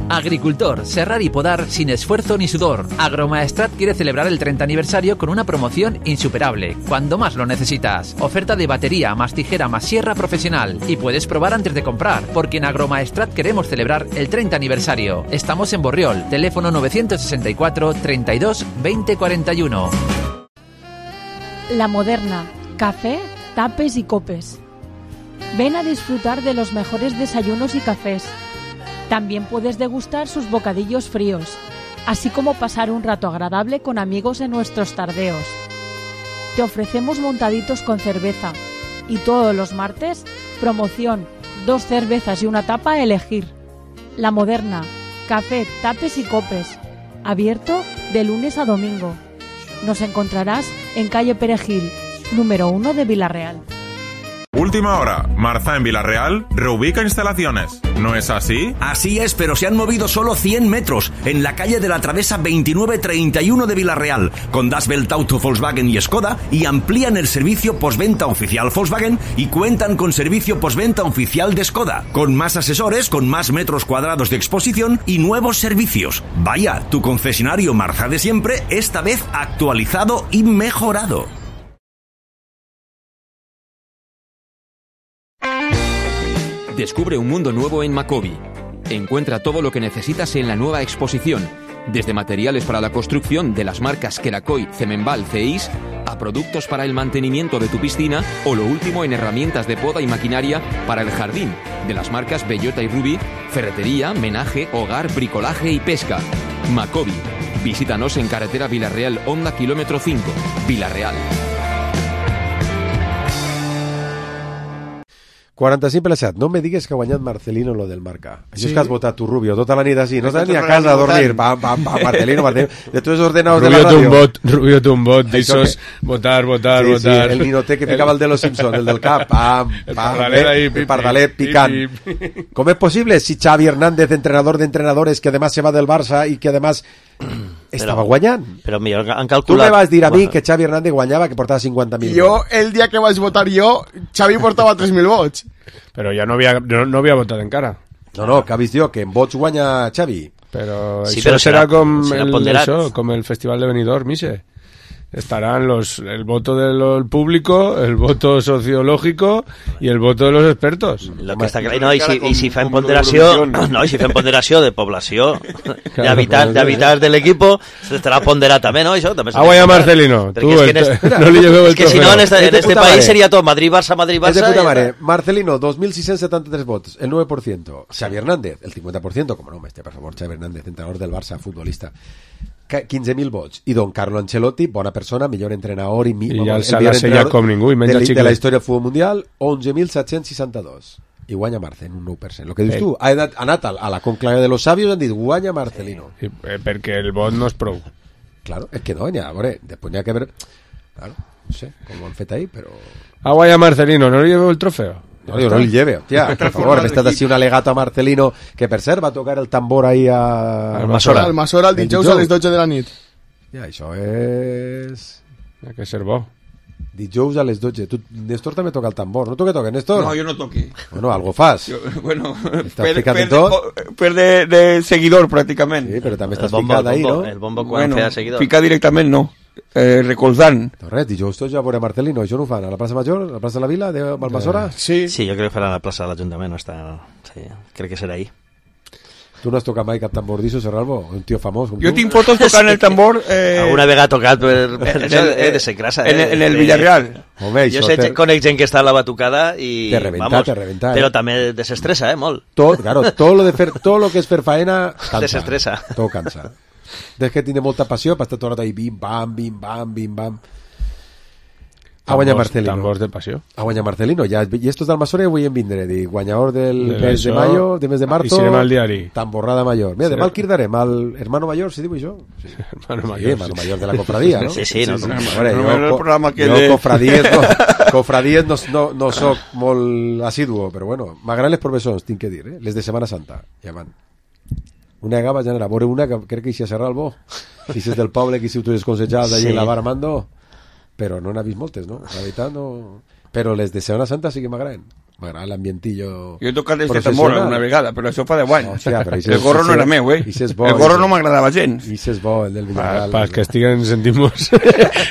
Agricultor, serrar y podar sin esfuerzo ni sudor. Agromaestrat quiere celebrar el 30 aniversario con una promoción insuperable, cuando más lo necesitas. Oferta de batería, más tijera, más sierra profesional. Y puedes probar antes de comprar, porque en Agromaestrat queremos celebrar el 30 aniversario. Estamos en Borriol, teléfono 964 32 20 41. La Moderna, café, tapes y copes. Ven a disfrutar de los mejores desayunos y cafés. También puedes degustar sus bocadillos fríos, así como pasar un rato agradable con amigos en nuestros tardeos. Te ofrecemos montaditos con cerveza y todos los martes, promoción, 2 cervezas y una tapa a elegir. La Moderna, café, tapes y copes, abierto de lunes a domingo. Nos encontrarás en calle Perejil, número 1 de Vila-real. Última hora, Marza en Vila-real reubica instalaciones. ¿No es así? Así es, pero se han movido solo 100 metros en la calle de la Travesa 2931 de Vila-real, con Das Welt Auto Volkswagen y Skoda, y amplían el servicio postventa oficial Volkswagen y cuentan con servicio postventa oficial de Skoda, con más asesores, con más metros cuadrados de exposición y nuevos servicios. Vaya, tu concesionario Marza de siempre, esta vez actualizado y mejorado. Descubre un mundo nuevo en Macobi. Encuentra todo lo que necesitas en la nueva exposición, desde materiales para la construcción de las marcas Kerakoy, Cemenbal, Ceis, a productos para el mantenimiento de tu piscina o lo último en herramientas de poda y maquinaria para el jardín, de las marcas Bellota y Ruby, ferretería, menaje, hogar, bricolaje y pesca. Macobi. Visítanos en carretera Vila-real Honda kilómetro 5, Vila-real. 45+7. No me digues que ha guanyat Marcelino lo del Marca. Això és que has votat tu, Rubio, tota la nit així. No estàs ni a casa a dormir. Marcelino. De tots els ordenados de la ràdio. Rubio té un vot, d'aixòs, votar. Sí, el ninote que ficava el de los Simpsons, el del cap. El pardalet picant. Com és possible si Xavi Hernández, entrenador d'entrenadores, que además se va del Barça i que además estava guanyant? Però millor han calculat... Tu me vas dir a mi que Xavi Hernández guanyava, que portava 50.000. Jo, el dia que vaig votar jo, Xavi portava 3.000 vots. Però ja no havia votat encara. No, que ha vist jo, que en vots guanya Xavi. Però sí, això serà com com el Festival de Benidorm, Mise. Estarán el voto del público, el voto sociológico y el voto de los expertos. Lo que està clar, no, i si fem ponderació, de població, d'habitants de l'equipo, s'estarà ponderat també, no? Això també guanyat Marcelino, tu no li lleveu el trofeu. És que si no, en este país seria tot Madrid-Barça. És de puta mare. Marcelino, 2.673 votos, el 9%. Xavi Hernández, el 50%, com no, per favor, Xavi Hernández, entrenador del Barça, futbolista. 15.000 vots. I Don Carlo Ancelotti, bona persona, millor entrenador i ja el s'ha sellat com ningú i menja de la història del futbol mundial, 11.762 i guanya Marce en un 9%. El que dius tu, ha anat a la conclave de los sabios i han dit guanya Marcelino. Perquè el vot no és prou. Claro, és que no, a veure, després n'hi ha que ver, claro, no sé com ho han fet ahí, però... guanya Marcelino, no li lleveu el trofeu? No, yo no el lleve, hostia, por favor, me estás así un alegato a Marcelino, que per cert va tocar el tambor ahí al Masora. Al Masora el dijous a les 12 de la nit. Ja, això és... Ha que ser bo. Dijous a les 12. Tu, Néstor també toca el tambor, no toca, Néstor? No, jo no toqui. Bueno, algo fas. Bueno, per de seguidor, pràcticament. Sí, però també estàs ficat ahí, no? El bombo quan feia seguidor. Ficar directament no. Recolzant. Res, dijous tots ja veure Marcelino, això no ho fan a la plaça Major, a la plaça de la Vila, de Balmasora? Sí, jo crec que faran a la plaça de l'Ajuntament, no està... Sí, crec que serà ahí. Tu no has tocat mai cap tambor d'això, Serralbo? Un tio famós com tu? Jo tinc fotos tocant el tambor... Alguna vegada tocat de ser crasa. En el Villarreal. Home, jo conec gent que està a la batucada i... Te reventa. Però també desestressa, molt. Tot, claro, todo lo que és fer faena... Desestressa. Tot cansa. Des que tiene molta passió per estar tot ahí bim bam a guanyar Marcelino. Tambors de passió. A guanyar Marcelino. I estos del Masora vull en vindre. Guanyador del mes de mayo, de mes de marzo. I serem al diari. Tamborrada mayor. Mira, demà el quirdarem al hermano mayor, si diu això. Sí. Hermano mayor de la cofradía, no? Sí. Jo cofradies no soc molt assiduo, però bueno, m'agraden les professors, tinc que dir, les de Setmana Santa. Ja van. Una vegada vaig anar a veure una que crec que hi ha Serralbo, si és del poble que si tu eres consejat d'allí en la Bar Armando, però no n'ha vist moltes, no? La veritat no... Però les de Setmana Santa sí que m'agraden. M'agrada l'ambientillo... Jo he tocat des de tambor una vegada, però això fa 10 anys. El gorro no era meu, El gorro no m'agradava gens. I és bo, el del Villarreal. Para que estiguen sentimos.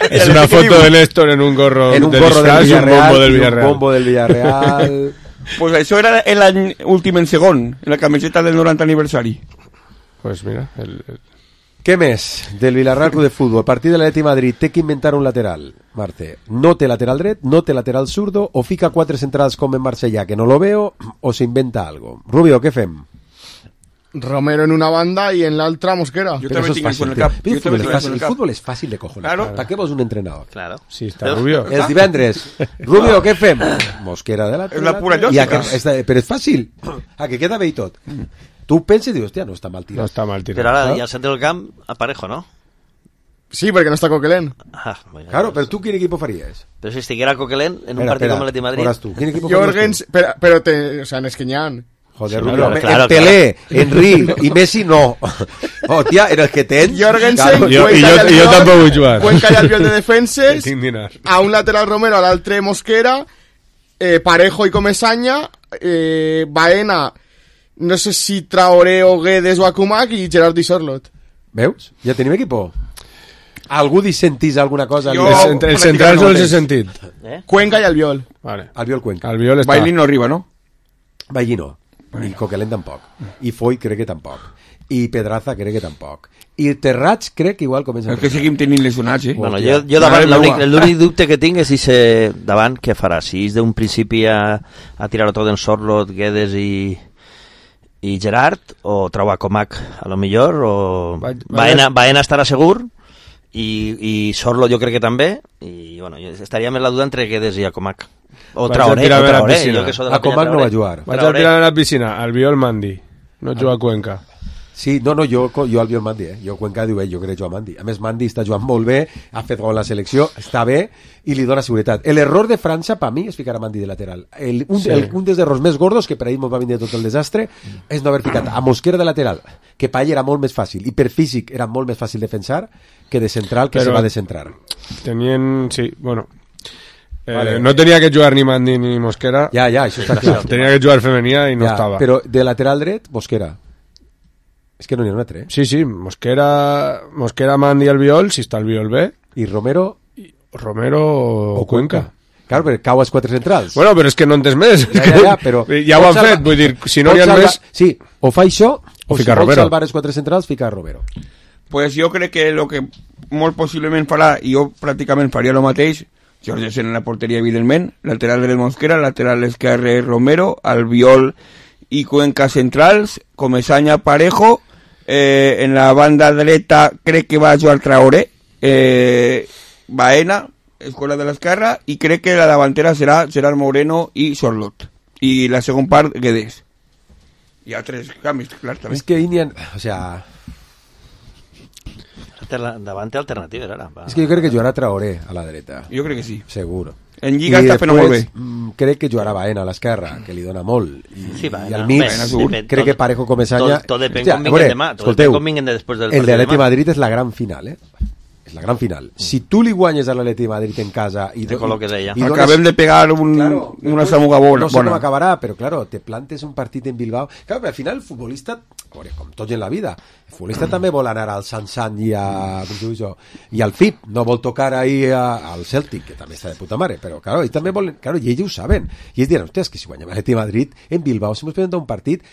Es una foto de Néstor en un gorro del Villarreal. Un bombo del Villarreal. Pues això era l'any últim en segon, en la camiseta del 90 aniversari. Pues mira, Què més del Villarreal Club de Fútbol? Partit de l'Atleti Madrid, té que inventar un lateral, Marte. No té lateral dret, no té lateral zurdo, o fica 4 centrals com en Marsella, que no lo veo, o se inventa algo. Rubio, què fem? Romero en una banda y en la otra Mosquera. Yo también tengo con el cap. El fútbol es fácil de cojonar. Claro. ¿Para qué vos un entrenador? Claro. Sí, está Rubio. Els divendres. Rubio, què fem? Mosquera de lateral. És la pura lògica. Però és fàcil. Que queda bé i tot. Tu penses i dius, hòstia, no està mal tirat. No està mal tirat. Però ara, ja al centre del camp, aparejo, ¿no? Sí, perquè no està Coquelin. Claro, però tu quin equip faries? Però si estiguera Coquelin en un partit com l'Atleti Madrid... Tu, quin equip Jorgens, però o sea, n'és que n'hi ha. Joder, Rubio, claro, Pelé, Henry y Messi no. Hòstia, en el que tens... Jorgensen, jo tampoc vull jugar. Cuenca i Albiol de defenses, a un lateral Romero, a l'altre Mosquera, Parejo i Comesaña, Baena, no sé si Traoré o Guedes o Akumak i Gerard i Sorlot. Veus? Ja tenim equipo. Algú dissentís alguna cosa? El central no els he sentit. Cuenca i Albiol. Vale. Albiol Cuenca. Bailín no arriba, no? Bailín no. I Coquelin tampoc. I Foy crec que tampoc. I Pedraza crec que tampoc. I Terrats crec que igual comença... És que seguim tenint lesionats, Bueno, jo davant, l'únic dubte que tinc és si davant què farà. Si és d'un principi a tirar-ho tot en Sorlot, Guedes i Gerard, o trau a Comac a lo millor, o Baena estarà segur i Sorlo jo crec que també, i bueno, estaria més la duda entre Guedes i Acomac. O Vaig Traoré, a tirar a la jo piscina. que sóc de la Acomac penya no va Traoré. jugar. Vaig a tirar a la piscina, Albiol Mandi. No juga a Cuenca. Sí, no, jo Albiol Mandi, jo Cuenca diu, jo crec jugar Mandi. A més, Mandi està jugant molt bé, ha fet gol a la selecció, està bé i li dona seguretat. L'error de França, per mi, és ficar a Mandi de lateral. Un dels errors més gordos, que per ahir ens va vindre tot el desastre, és no haver ficat a Mosquera de lateral, que per ell era molt més fàcil, i per físic era molt més fàcil defensar que de central, que se va de centrar. Sí, bueno... no tenia que jugar ni Mandi ni Mosquera. Ja, això està clar. Tenia que jugar Femenia i no estava. Però de lateral dret, Mosquera. És que no n'hi ha un altre, Sí, Mosquera, Mandi i Albiol, si està Albiol bé. I Romero o Cuenca. Claro, però cau als 4 centrals. Bueno, però és que no entens més. Però ja ho han fet, vull dir, si no n'hi ha més... Sí, o fa això, o fica si Romero. vols salvar els 4 centrals, fica Romero. Pues jo crec que el que molt possiblement farà, i jo pràcticament faria el mateix, Jorgensen en la porteria, evidentment, lateral dret Mosquera, lateral esquerre Romero, Albiol i Cuenca centrals, Comesaña Parejo, en la banda dreta crec que va a jugar Traoré, Baena, escuela de l'esquerra, i crec que la davantera serà Gerard Moreno i Sorlot, i la segon part Guedes. Hi ha 3 canvis, clar, també. És que Indian, o sea... Davant alternatives ara. És que jo crec que jugarà Traoré a la dreta. Jo crec que sí. Segur. En Lliga està fent molt bé. Crec que jugarà Baena a l'esquerra, que li dona molt. Sí, Baena. I al mig, crec que Parejo Comesaña... Tot depèn com vinguen demà. Escolteu, després del el de l'Atleti Madrid és la gran final, És la gran final. Si tu li guanyes a l'Atleti Madrid en casa i te col·loques allà. Acabem de pegar una samuga bona. No sé com acabarà, però claro, te plantes un partit en Bilbao. Claro, però al final el futbolista, com tots en la vida, el futbolista també vol anar al Sansan i al FIP, no vol tocar ahí al Celtic, que també està de puta mare, però claro, ells també volen, claro, i ells ho saben. I ells diran, hòstia, és que si guanyem l'Atleti Madrid en Bilbao, si ens presenta un partit,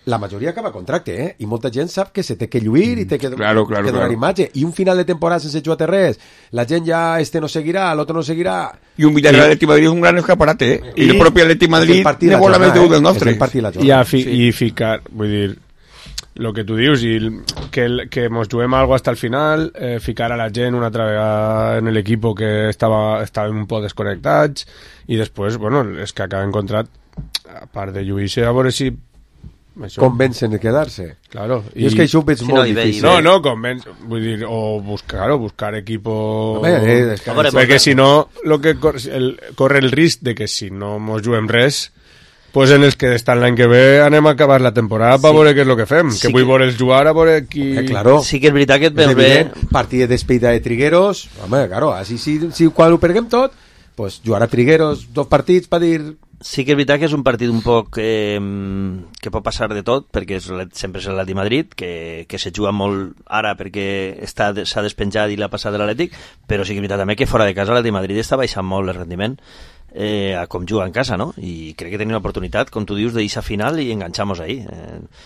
la majoria acaba contracte, i molta gent sap que se té que lluir i té que donar imatge, i un final de temporada sense jugar res, la gent ja no seguirà, l'altre no seguirà, i un Villarreal Atleti Madrid és un gran escaparate, i el propi Atleti Madrid ne vol més deu del nostre, i ficar, vull dir, lo que tu dius, i que mos juguem algo hasta el final, ficar a la gent una altra vegada en l'equip que estaven un poc desconnectats, i després, bueno, és que acaben contrat, a part de lluir-se, a veure si convencen de quedar-se. Claro. I és que això ho veig molt difícil. No, vull dir, o buscar equipo... Perquè si no, corre el risc de que si no mos juguem res, pues en els que estan l'any que ve anem a acabar la temporada per veure què és el que fem, que vull veure'ls jugar a veure qui... Claro. Sí que és veritat que et veus bé... Partit de despedida de Trigueros, home, claro, així si quan ho perguem tot, pues jugar a Trigueros 2 partits per dir... Sí que és veritat que és un partit un poc que pot passar de tot, perquè sempre és l'Atleti Madrid, que se juga molt ara perquè s'ha despenjat i l'ha passat de l'Atlètic, però sí que és veritat també que fora de casa l'Atleti Madrid està baixant molt el rendiment a com juga en casa, no? I crec que tenim l'oportunitat, com tu dius, d'eixa final i enganxar-nos ahí.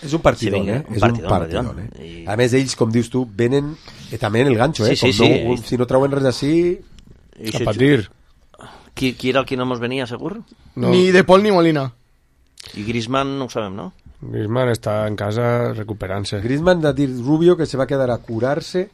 És un partidón, És un partidón. A més, ells, com dius tu, venen també en el ganxo, si no trauen res d'ací... A patir. Qui era el que no mos venia, segur? No. Ni De Paul ni Molina. I Griezmann no ho sabem, no? Griezmann està en casa recuperant-se. Griezmann ha dit Rubio que se va quedar a curar-se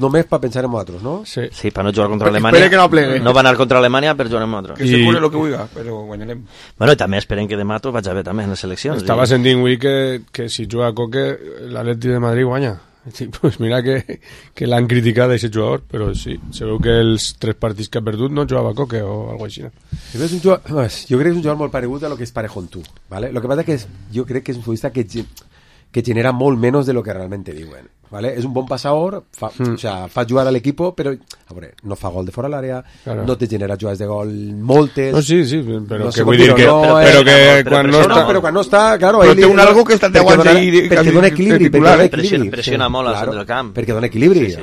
només per pensar en nosaltres, no? Sí, per no jugar contra Alemanya. Espera que no plegue. No va anar contra Alemanya per jugar amb nosaltres. Que se cure lo que vulga, però guanyarem. Bueno, i també esperen que demà tot vagi bé també en les seleccions. Estava sentint avui que si juga Coque l'Atleti de Madrid guanya. Sí, pues mira que l'han criticat a aquest jugador, però sí, se veu que els 3 partits que ha perdut no jugava Coque o alguna cosa així. Jo crec que és un jugador molt paregut a lo que és Parejo en tu, ¿vale? Lo que pasa es que jo crec que és un futbolista que genera molt menos de lo que realmente diuen, ¿vale? És un bon passador, o sea, fa jugar a l'equipo, però a veure, no fa gol de fora l'àrea, no te genera jugades de gol moltes. No, sí, però no que vull dir que quan no està... Però quan no està, claro, però té un algo que està de guants ahí perquè dona equilibri, pressiona molt al centre del camp. Perquè dona equilibri.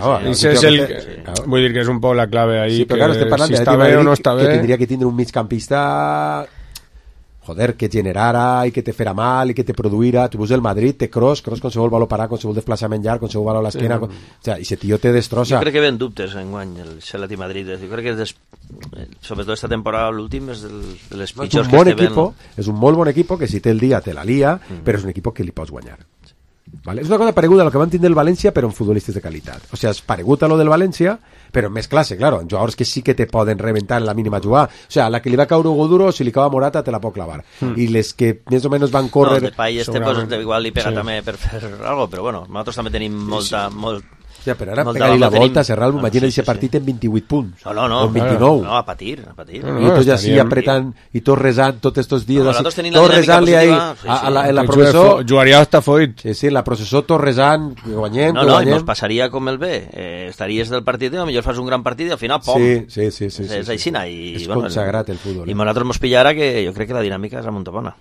Vull dir que és un poc la clave ahí, que si està bé o no està bé... Que tindria que tindre un migcampista... Joder, que generara i que te fera mal i que te produïra. Tu veus el Madrid, té Kroos qualsevol valor parar, qualsevol desplaçament llarg, qualsevol valor a l'esquena, o sea, i ese tío te destrossa. Jo crec que ven dubtes enguany el Atleti Madrid. Jo crec que sobretot esta temporada l'últim és de les pitjors que és un molt bon equip que si té el dia te la lia, però és un equip que li pots guanyar. ¿vale? És una cosa pareguda a lo que van tindre el València, però en futbolistes de qualitat. O sigui, és paregut a lo del València, però en més classe, claro, en jugadors que sí que te poden reventar en la mínima jugada. O sigui, a la que li va caure Hugo Duro, si li cava Morata, te la pot clavar. I les que més o menys van córrer... No, Depay pues, igual li pega també per fer algo, però bueno, nosaltres també tenim Ja, però ara pega-li la volta, Serral, imagina aquest partit en 28 punts. No, o en 29. No, a patir. I tots així apretant, i tots resant tots estos dies. Nosaltres tenim la dinàmica positiva. En la processó... Jugaria hasta Foyt. Sí, en la processó tots resant, guanyem, No, i ens passaria com el B. Estaries del partit, potser fas un gran partit i al final, pom. Sí. És aixina. És consagrat el futbol. I nosaltres mos pillara que jo crec que la dinàmica és a Montapona.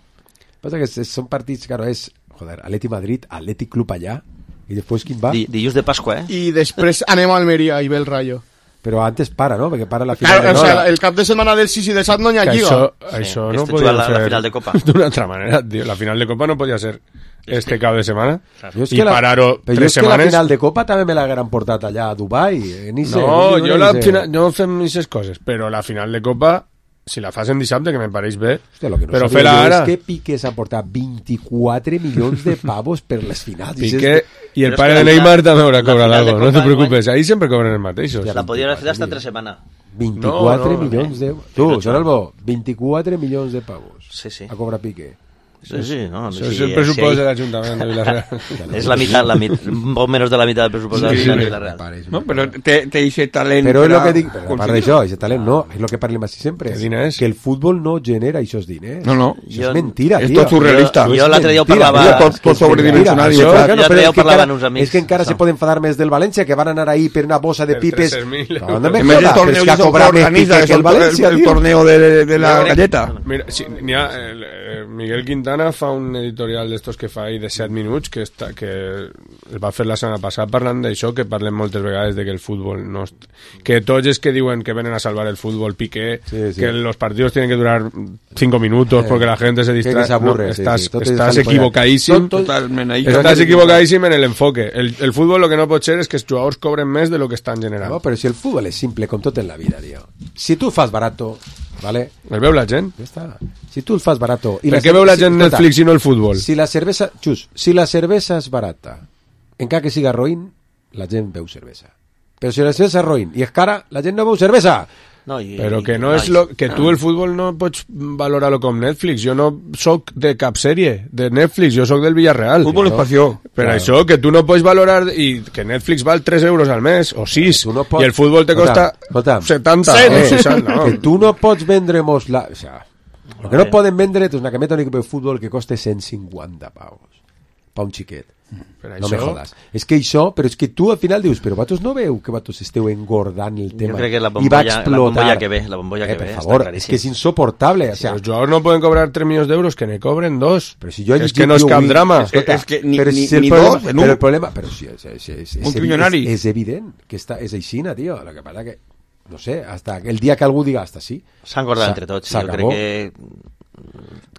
Passa que són partits, claro, és, Atleti Madrid, Atleti Club allà, i després quin va? Dilluns de Pasqua, I després anem a Almeria i ve el Rayo. Però antes para, ¿no? Perquè para la final de Copa. El cap de setmana del 6 i del 7 no hi ha lliga. Això no podia ser la final de Copa. D'una altra manera, tío. La final de Copa no podia ser cap de setmana. I parar-ho 3 setmanes. Però la final de Copa també me l'hagueren portat allà a Dubai. Jo fem aquestes coses, però la final de Copa, si la fas en dissabte, que me pareix bé, però fer-la ara... És que Piqué s'ha portat 24 milions de pavos per les finals. Piqué i el pare de Neymar també haurà cobrat alguna cosa, no te preocupes, ahí sempre cobren els mateixos. La podien fer hasta 3 setmanes. 24 milions d'euros. Tu, Soralbo, 24 milions de pavos. Sí. A cobrar Piqué. Sí, no. Això és el pressupost de l'Ajuntament de Villarreal. És la meitat, un poc menys de la meitat del pressupost de Villarreal. No, però té aquest talent. Però és el que dic, a part d'això, aquest talent no, és el que parlem així sempre. Que el futbol no genera aquests diners. No. Això és mentira, tio. És tot surrealista. Jo l'altre dia ho parlava... Tot sobredimensionat. L'altre dia ho parlava amb uns amics. És que encara se poden enfadar més del València, que van anar ahí per una bossa de pipes. No me jodas, però és que ha cobrat més Piqué que el València. El torneo de la galleta. Mira, Miguel Quintana fa un editorial d'estos que fa ahí de 7 minuts que el va fer la setmana passada parlant d'això, que parlem moltes vegades de que el futbol no... que tots els que diuen que venen a salvar el futbol, Piqué, que los partidos tienen que durar 5 minutos porque la gente se distrae, estás equivocadíssim, estàs equivocadíssim en el enfoque. El futbol lo que no pot ser és que els jugadors cobren més de lo que estan generant. No, però si el futbol és simple com tot en la vida, tio. Si tu fas barato, ¿vale? El veu la gent. Ja està. Si tu el fas barato... Per què veu la gent Netflix i no el futbol? Si la cervesa és barata, encara que siga roïn, la gent veu cervesa. Però si la cervesa és roïn i és cara, la gent no veu cervesa. Però que no és que tu el futbol no pots valorar-lo com Netflix. Jo no soc de cap sèrie de Netflix, jo soc del Villarreal. Futbol és passió. Per això que tu no pots valorar, i que Netflix val 3 euros al mes o 6, i el futbol te costa 70 o 60. Que tu no pots vendre-mos la... O sea, el que no poden vendre és una cameta de un equip de futbol que costa 150 paus pa un xiquet. No me jodas. És que això, però és que tu al final dius, però vosaltres no veu que vosaltres esteu engordant el tema? Jo crec que la bombolla que ve, per favor, és que és insoportable. O sea, els jugadors no poden cobrar 3 milions d'euros, que ne cobren 2. Però si jo és que no és cap drama. És que ni 2, però el problema... Però si és evident que és aixina, tio. El que passa que no sé, hasta el dia que algú diga hasta sí. S'ha engordat entre tots. Jo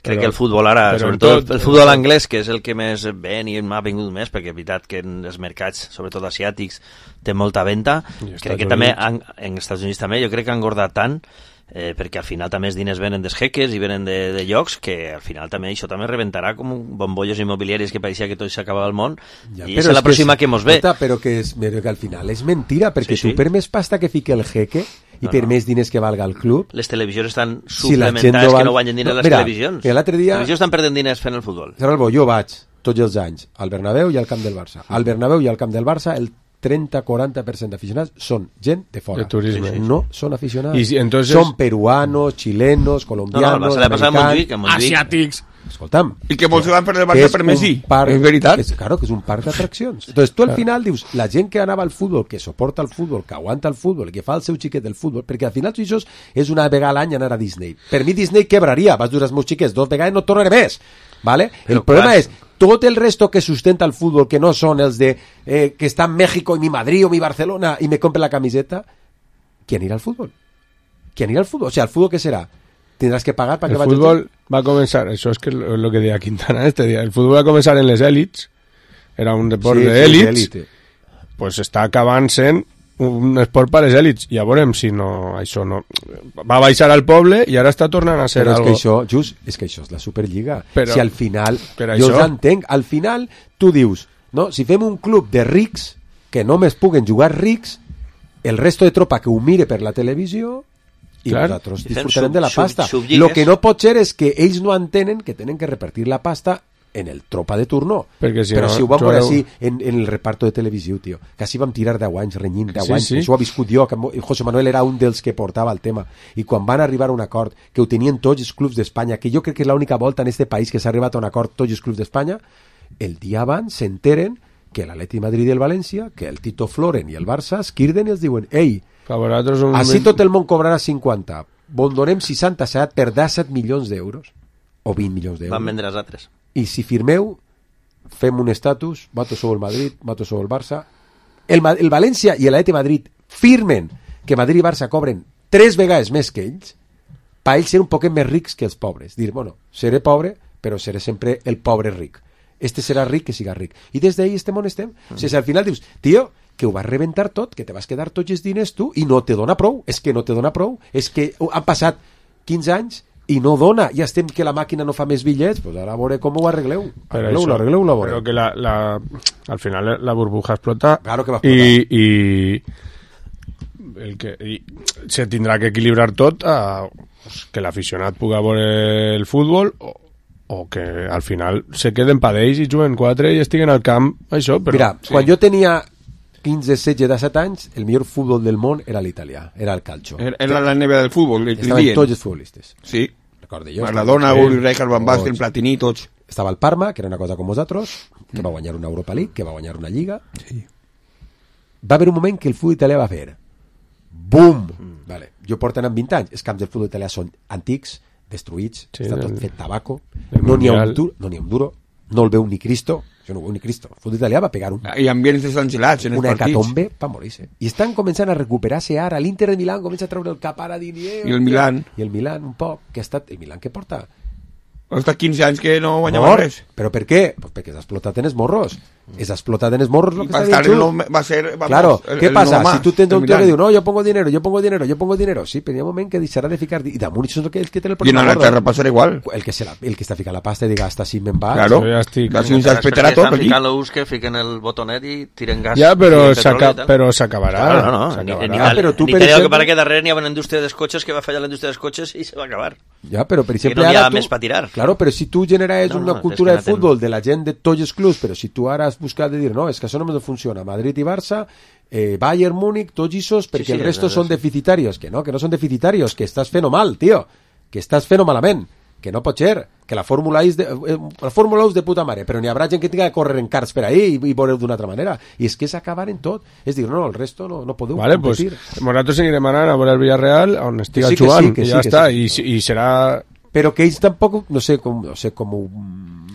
crec que el futbol ara, sobretot el futbol anglès, que és el que més ven i m'ha vingut més, perquè és veritat que en els mercats, sobretot asiàtics, té molta venda. Crec que també en Estats Units també, jo crec que han engordat tant, perquè al final també els diners venen dels jeques i venen de llocs, que al final també això també rebentarà com bombolles immobiliàries que pareixia que tot s'acabava al món, i és la pròxima que mos ve. Però que al final és mentira, perquè tu per més pasta que fique el jeque i per més diners que valga el club, les televisions estan suplementades, que no guanyen diners les televisions. L'altre dia... Les televisions estan perdent diners fent el futbol. Jo vaig tots els anys al Bernabéu i al camp del Barça. Al Bernabéu i al camp del Barça el 30-40% d'aficionats són gent de fora. De turisme. No són aficionats. Entonces... Són peruanos, chilenos, colombianos, americans, asiàtics. Escolta'm, i que molts van per el Barça per Messi, és veritat. Claro, que és un parc d'atraccions. Entonces tu al final dius, la gent que anava al futbol, que soporta el futbol, que aguanta el futbol, que fa el seu xiquet del futbol, perquè al final això és una vegada a l'any anar a Disney. Per mi Disney quebraria, vas dur els meus xiquets 2 vegades i no tornaré més, ¿vale? El problema és tot el resto que sustenta el futbol, que no són els de que està en México i mi Madrid o mi Barcelona i me compre la camiseta, qui anirà al futbol? Qui anirà al futbol? O sigui, el futbol què serà? Tindràs que pagar perquè el futbol va començar, això és que lo que deia Quintana este dia, el futbol va començar en les èlits, era un esport d'èlits, pues està acabant sent un esport per a les èlits, i ja veurem si no, això no va baixar al poble i ara està tornant a ser però algo. És que això és la Superliga, si al final jo els entenc, al final tu dius no? Si fem un club de rics que només puguen jugar rics, el resto de tropa que ho mire per la televisió i nosaltres disfrutarem de la pasta. Lo que no pot ser és que ells no entenen que tenen que repartir la pasta en el tropa de turno. Si però no, si ho vam veure així en el reparto de televisió, tio, que així vam tirar 10 anys renyint, 10 anys, això ho ha viscut jo, que José Manuel era un dels que portava el tema, i quan van arribar a un acord que ho tenien tots els clubs d'Espanya, que jo crec que és l'única volta en este país que s'ha arribat a un acord tots els clubs d'Espanya, el dia abans s'enteren que l'Atleti Madrid i el València, que el Tito Floren i el Barça es quirden i els diuen, ei, així tot el món cobrarà 50, bon donem 60, s'ha de perdre 7 milions d'euros o 20 milions d'euros. Van vendre els altres. I si firmeu, fem un estatus, voto sobre el Madrid, voto sobre el Barça. El València i l'Atleti Madrid firmen que Madrid i Barça cobren 3 vegades més que ells, per ells ser un poquet més rics que els pobres. Dir, bueno, seré pobre, però seré sempre el pobre ric. Este serà ric que siga ric. I des d'ahí estem on estem. O sigui, al final dius, tio, que ho vas rebentar tot, que te vas quedar tots els diners tu, i no te dona prou. És que no te dona prou. És que han passat 15 anys i no dona, ja estem que la màquina no fa més bitllets, pues ara a veure com ho arregleu. Arregleu-lo. Però que al final la burbuja explota. Claro que va explotar. I se tindrà que equilibrar tot que l'aficionat pugui veure el futbol o que al final se queden pa d'ells i juguen 4 i estiguen al camp, això, però... Mira, quan jo tenia 15, 16, 17 anys, el millor futbol del món era l'italià, era el calcio. Era la neve del futbol. Estaven tots els futbolistes. Sí. Recordo jo. Maradona, Uri Rijkaard, Van Basten, Platini, tots. Estava el Parma, que era una cosa com vosaltres, que va guanyar una Europa League, que va guanyar una Lliga. Sí. Va haver un moment que el futbol italià va fer boom! Vale. Jo porto anant 20 anys. Els camps del futbol italià són antics, destruïts, està tot fet tabaco, no n'hi ha un duro, no el veu ni Cristo. Jo no ho veu ni Cristo. El futbol italià va pegar i ambients desangelats en els una partits. hecatombe per morir-se. I estan començant a recuperar-se ara. L'Inter de Milán comença a treure el cap ara i el Milán. I el Milán un poc, que ha estat... El Milán que porta? Està 15 anys que no guanyava res. Però per què? Pues perquè s'ha explotat en els morros. És explotat en els morros el que està dient tu. Va ser, vamos, claro, ¿qué pasa? Nomás, si tu tens un tío que diu, no, yo pongo dinero, sí, però hi ha un moment que deixarà de ficar... I damunt això és el que té el problema. I en Anglaterra passarà igual. El que està ficant la pasta i diga, hasta si me'n va. Claro, estan ficant l'ús que fiquen el botonet i tiren gas. Ja, però s'acabarà. Però tu, per exemple... que darrere n'hi ha una indústria dels cotxes que va fallar la indústria dels cotxes i se va acabar. Ja, però per exemple... Que no hi ha més per tirar. Claro, però si tu generes una cultura de futbol de la gent de tots els clubs, però si tu ara has buscat de dir, no, és que això només no funciona, Madrid i Barça, Bayern, Múnich, tots esos, perquè el resto són deficitarios, que no són deficitarios, que estàs fent mal, tio, que estàs fent malament, que no pot ser, que la Fórmula 1 és de puta mare, però n'hi haurà gent que tinga que córrer en karts per ahí i veureu d'una altra manera, i és que s'acabar en tot, és dir, no, el resto no podeu competir. Pues nosaltres seguirem anant a veure el Villarreal on estiga jugant, i ja està, i serà... Però que ells tampoc, no sé com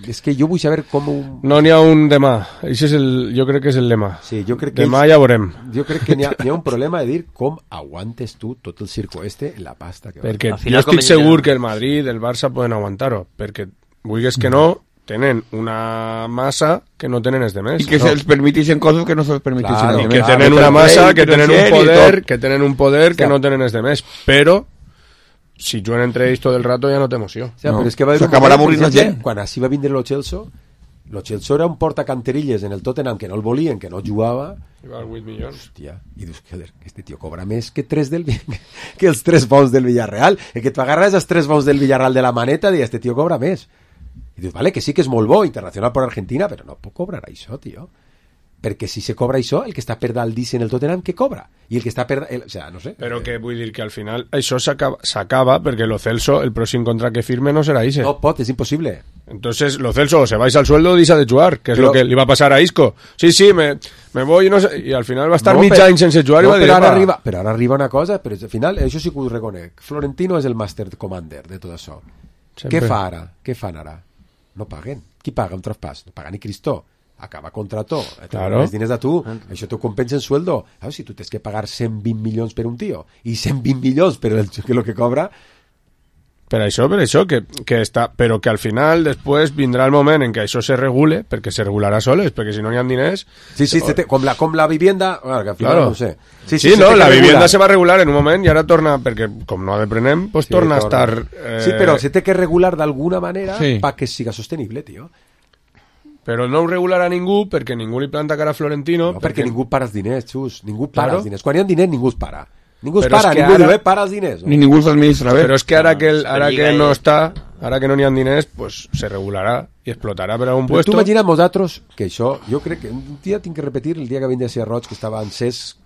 és que jo vull saber com... No n'hi ha un demà, això és jo crec que és el lema. Sí, jo crec que demà ja veurem. Jo crec que n'hi ha un problema de dir com aguantes tu tot el circo en la pasta que perquè jo estic segur que el Madrid, el Barça poden aguantar-ho, perquè vulguis que no, tenen una massa que no tenen els demés. I que se'ls permetixen coses que no se'ls permetixen els demés. Que tenen una massa, que tenen un poder que no tenen els demés, però si juguen entre ells tot el rato ja no té emoció. O sea, però és que va s'acabarà avorrint la gent. Quan així va vindre lo Chelsea era un portacanterilles en el Tottenham que no el volien, que no jugava. I val 8 milions. Hòstia, i dius que este tio cobra més que els 3 bons del Villarreal. El que tu agarres els 3 bons del Villarreal de la maneta i este tio cobra més. I dius, vale, que sí que és molt bo, internacional per Argentina, però no pot cobrar això, tio. Perquè si se cobra això, el que està per dalt en el Tottenham, que cobra? I el que està per... o sea, no sé. Però que vull dir que al final això s'acaba perquè lo Celso, el pròxim contracte que firme no serà ese. No pot, és imposible. Entonces, lo Celso o se vais al sueldo o deixa de jugar, que és lo que li va passar a Isco. Sí, me voy i no sé... I al final va estar mig any sense jugar i va dir... Però ara arriba una cosa, però al final, això sí que ho reconec. Florentino és el master commander de tot això. Què fa ara? Què fan ara? No paguen. Qui paga un traspàs? No paga ni Cristo. Acaba contrato, els diners de tu, això t'ho compensa en sueldo. Si tu tens que pagar 120 milions per un tio i 120 milions per el que cobra, per això que està, però que al final després vindrà el moment en què això se regule, perquè se regularà soles, perquè si no n'hi ha diners... Sí, com la vivienda, que al final no sé. Sí, la vivienda se va regular en un moment i ara torna, perquè com no deprenem, pues torna a estar... Sí, però se té que regular d'alguna manera perquè siga sostenible, tio. Però no ho regularà ningú perquè ningú li planta cara a Florentino. No, perquè ningú para els diners, Xus. Ningú para Claro. els diners. Quan hi ha diners, ningú es para. Ningú es Però para, és que ningú ara- diu, para els diners. No? Ni ningú s'administra bé. Però és que ara que, ara que no i- està, ara que no n'hi ha diners, pues se regularà i explotarà per algun Però tu puesto. imagina't vosaltres que això, jo crec que un dia tinc que repetir el dia que vindria a ser Roig, que estava encès.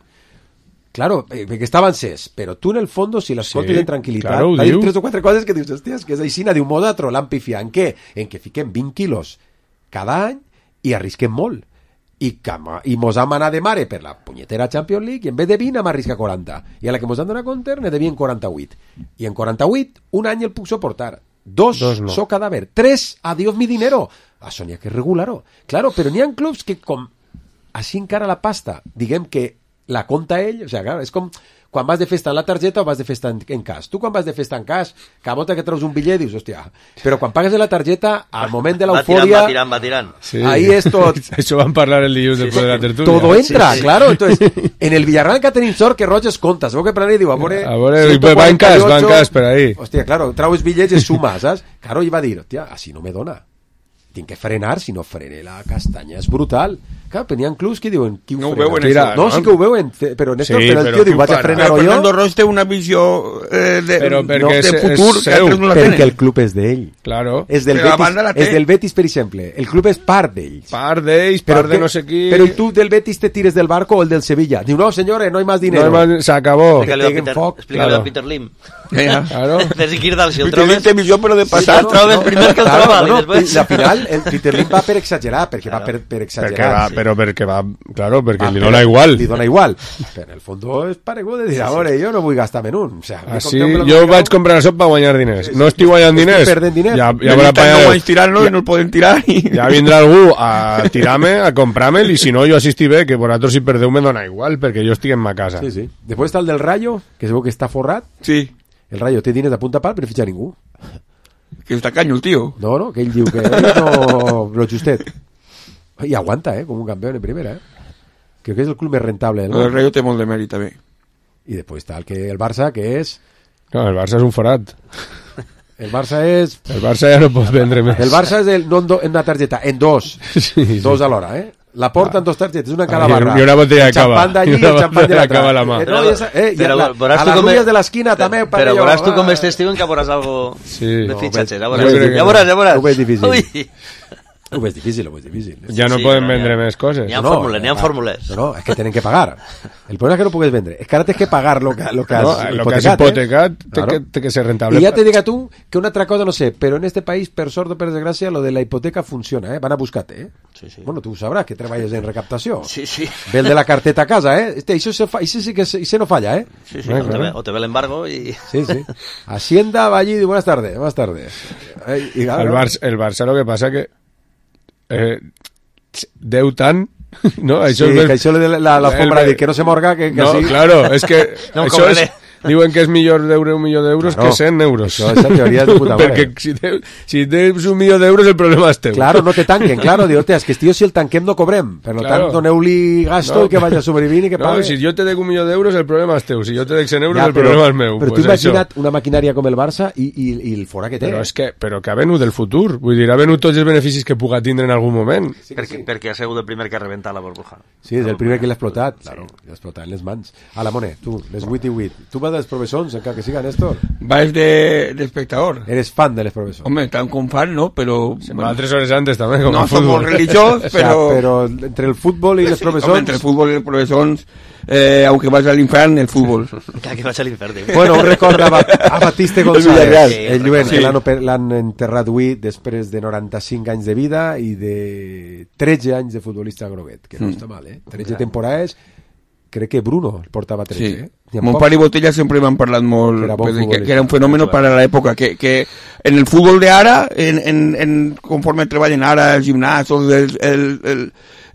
Claro, que estava encès, però tu en el fondo, si l'escoltes Sí, en tranquil·litat, claro, ho va dir diu. 3 o 4 coses que dius, hòstia, és que és aixina, diu, vosaltres l'han pifiat. En què? En que fiquem 20 quilos cada any i arrisquem molt. I mos hem anat de mare per la punyetera Champions League i en vez de 20 hem arriscat 40. I a la que mos han donat compte ne devien 48. I en 48, un any el puc soportar. Dos no. so cadàver. 3, adiós mi dinero. Això n'hi ha que regular-ho. Claro, però n'hi ha clubs que com així encara la pasta, diguem que la compta ell, o sigui, clar, és com quan vas de festa en la targeta o vas de festa en cas. Tu quan vas de festa en cas, cada volta que treus un bitllet dius, hòstia, però quan pagues de la targeta, al moment de l'eufòria... Va tirant. Sí. Ahí es tot. Això van parlar el dilluns després de la tertúlia. Todo entra, Sí. claro. Entonces, en el Villarreal que tenim sort que Roig es compta. Sabeu que per anar diu, a veure... va en cas per ahí. Hòstia, claro, traues bitllets i sumas, saps? Claro, i va dir, hòstia, així no me dona. Tinc que frenar, si no frene la castanya és brutal. Clar, però n'hi ha clubs que diuen qui ho No ho frena? veuen, Mira, això, no, no? sí que ho veuen, però Néstor, Sí, però el però tio diu, qui ho vaig a fa? frenar-ho Però jo. Fernando Roig té una visió Però perquè de és futur que seu. altres no la Perquè tenen. el club és d'ell. Claro. És del, Però la Betis, banda la té. és del Betis, per exemple. El club és part d'ells. Part d'ells, Pero part de que- no sé qui... Pero ¿y tú del Betis te tires del barco o el del Sevilla? Digo, no, señores, no hay más dinero. No, se acabó. Que Explícale teguen foc. a Claro. Peter Lim. Claro. Des Girdal, si el Peter Lim trobes... té visió, però de passat. el trobes primer que el Claro, troba, i no, després... i al final el Peter Lim va per exagerar, perquè va per Perquè exagerar. va, però perquè va... Claro, perquè Ah, li però dona igual. Li dona igual. Però en el fons és paregut de dir, a veure, jo no vull gastar-me en un. O sea, me Així, compré un jo mercado. vaig comprar això per guanyar diners. No estic guanyant Estic diners. perdent diners. Ja Ja haurà no vaig tirant-lo i no el poden tirar. ja vindrà algú a tirar-me, a comprar-me'l, i si no, jo assistiré bé, que vosaltres si perdeu me dona igual, perquè jo estic en ma casa. Sí, sí. Després està el del Rayo, que es veu que està forrat. Sí, El Rayo té diners a punta pal, però no fitxa ningú. que està canyo el tio. No, que ell diu que ell no... Lo justet. I aguanta, com un campió en primera, Creo que és el club més rentable del El món. Rayo té molt de mèrit, també. I després està el Barça, que és... No, el Barça és un forat. El Barça és... El Barça ja no pot vendre més. El Barça és no en una targeta, en dos. Sí. Dos alhora, La porta en dos targetes, una en cada Ah, i- barra. i una botella de El champán cava. d'allí I i una el champán de botella de cava a la l'altra. mà. No, i Però veuràs a tu les com rubies és- de l'esquina també. Però veuràs tu com és estiu en que veuràs algo Sí. de No, fitxatges. Ja jo veuràs, crec que ja veuràs. Ho veig difícil. Ui. Ho veig difícil, ho veig difícil. Ja no Sí, poden no, vendre ja. més coses. N'hi ha fórmules, n'hi ha fórmules. No, és que tenen que pagar. El problema és que no pugues vendre. És que ara tens que pagar lo que has No, lo que has hipotecat. hipotecat té Claro. que ser rentable. Y ya te diga tú que una otra cosa no sé, pero en este país, per sort o per desgràcia, lo de la hipoteca funciona, Van a buscarte, Sí, sí. Bueno, tú sabrás que treballes en recaptació. Sí, sí. Ve el de la carteta a casa, Eso sí que ese no falla, Sí, sí, Claro. o te ve el embargo y... Sí, sí. Hacienda va allí y dice, buenas tardes. Y claro, El Barça lo que passa que deu tant, no? sí, és que això de la alfombra de que no se morga, que no, sí. claro, és que No em això és, cobraré. diuen que és millor d'euro un milió d'euros Claro. que 100 euros. Això, esa teoria és de puta mare. Perquè si tens un milió d'euros el problema és teu. Claro, no te tanquen, claro. Digo, hostia, es que tío, si el tanquem no cobrem. Per lo Claro. tant, doneu-li gasto No. i que vaya a sobrevivir i que No, pague. si jo te dec un milió d'euros el problema és teu. Si jo te dec 100 euros Ja, el problema és meu. Però Pues tu això. imagina't una maquinària com el Barça i el fora que té. Però que ha venut del futur. Vull dir, ha venut tots els beneficis que puga tindre en algun moment. Perquè ha sigut el primer que ha rebentat la burbuja. Sí, és el primer que l'ha explotat. Claro, l'ha explotat en les mans. A la Mone, tu, les 8 i 8. Tu vas dels professors, encara que siga, Néstor? Vas d'espectador. Eres fan de les professors. Home, tan com fan, no? Però... Va 3 hores antes també, com no, el som futbol. molt religiós, O sea, però... pero entre el fútbol y los profesores... Home, entre el fútbol y los profesores, aunque vas al infierno, el fútbol. Que vaig a l'infern. Bueno, un record a Batiste González, Sí, el Lluent, sí. que l'han enterrat avui després de 95 anys de vida i de 13 anys de futbolista groguet, que no està mal, 13 temporades, crec que Bruno portava 13, Sí. N'hi ha Mon pocs. pare i Botella sempre m'han parlat molt Que era bon que futbolista. era un fenómeno para la época que en el fútbol de ara conforme treballen ara el gimnàs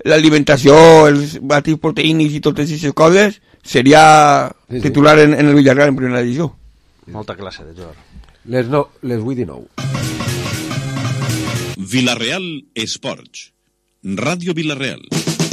l'alimentació, els batidos proteínics i totes aquestes coses seria Sí, sí. titular en el Villarreal en primera divisió. Molta classe de jugador. Les 8 i 9. Villarreal Esports. Ràdio Villarreal.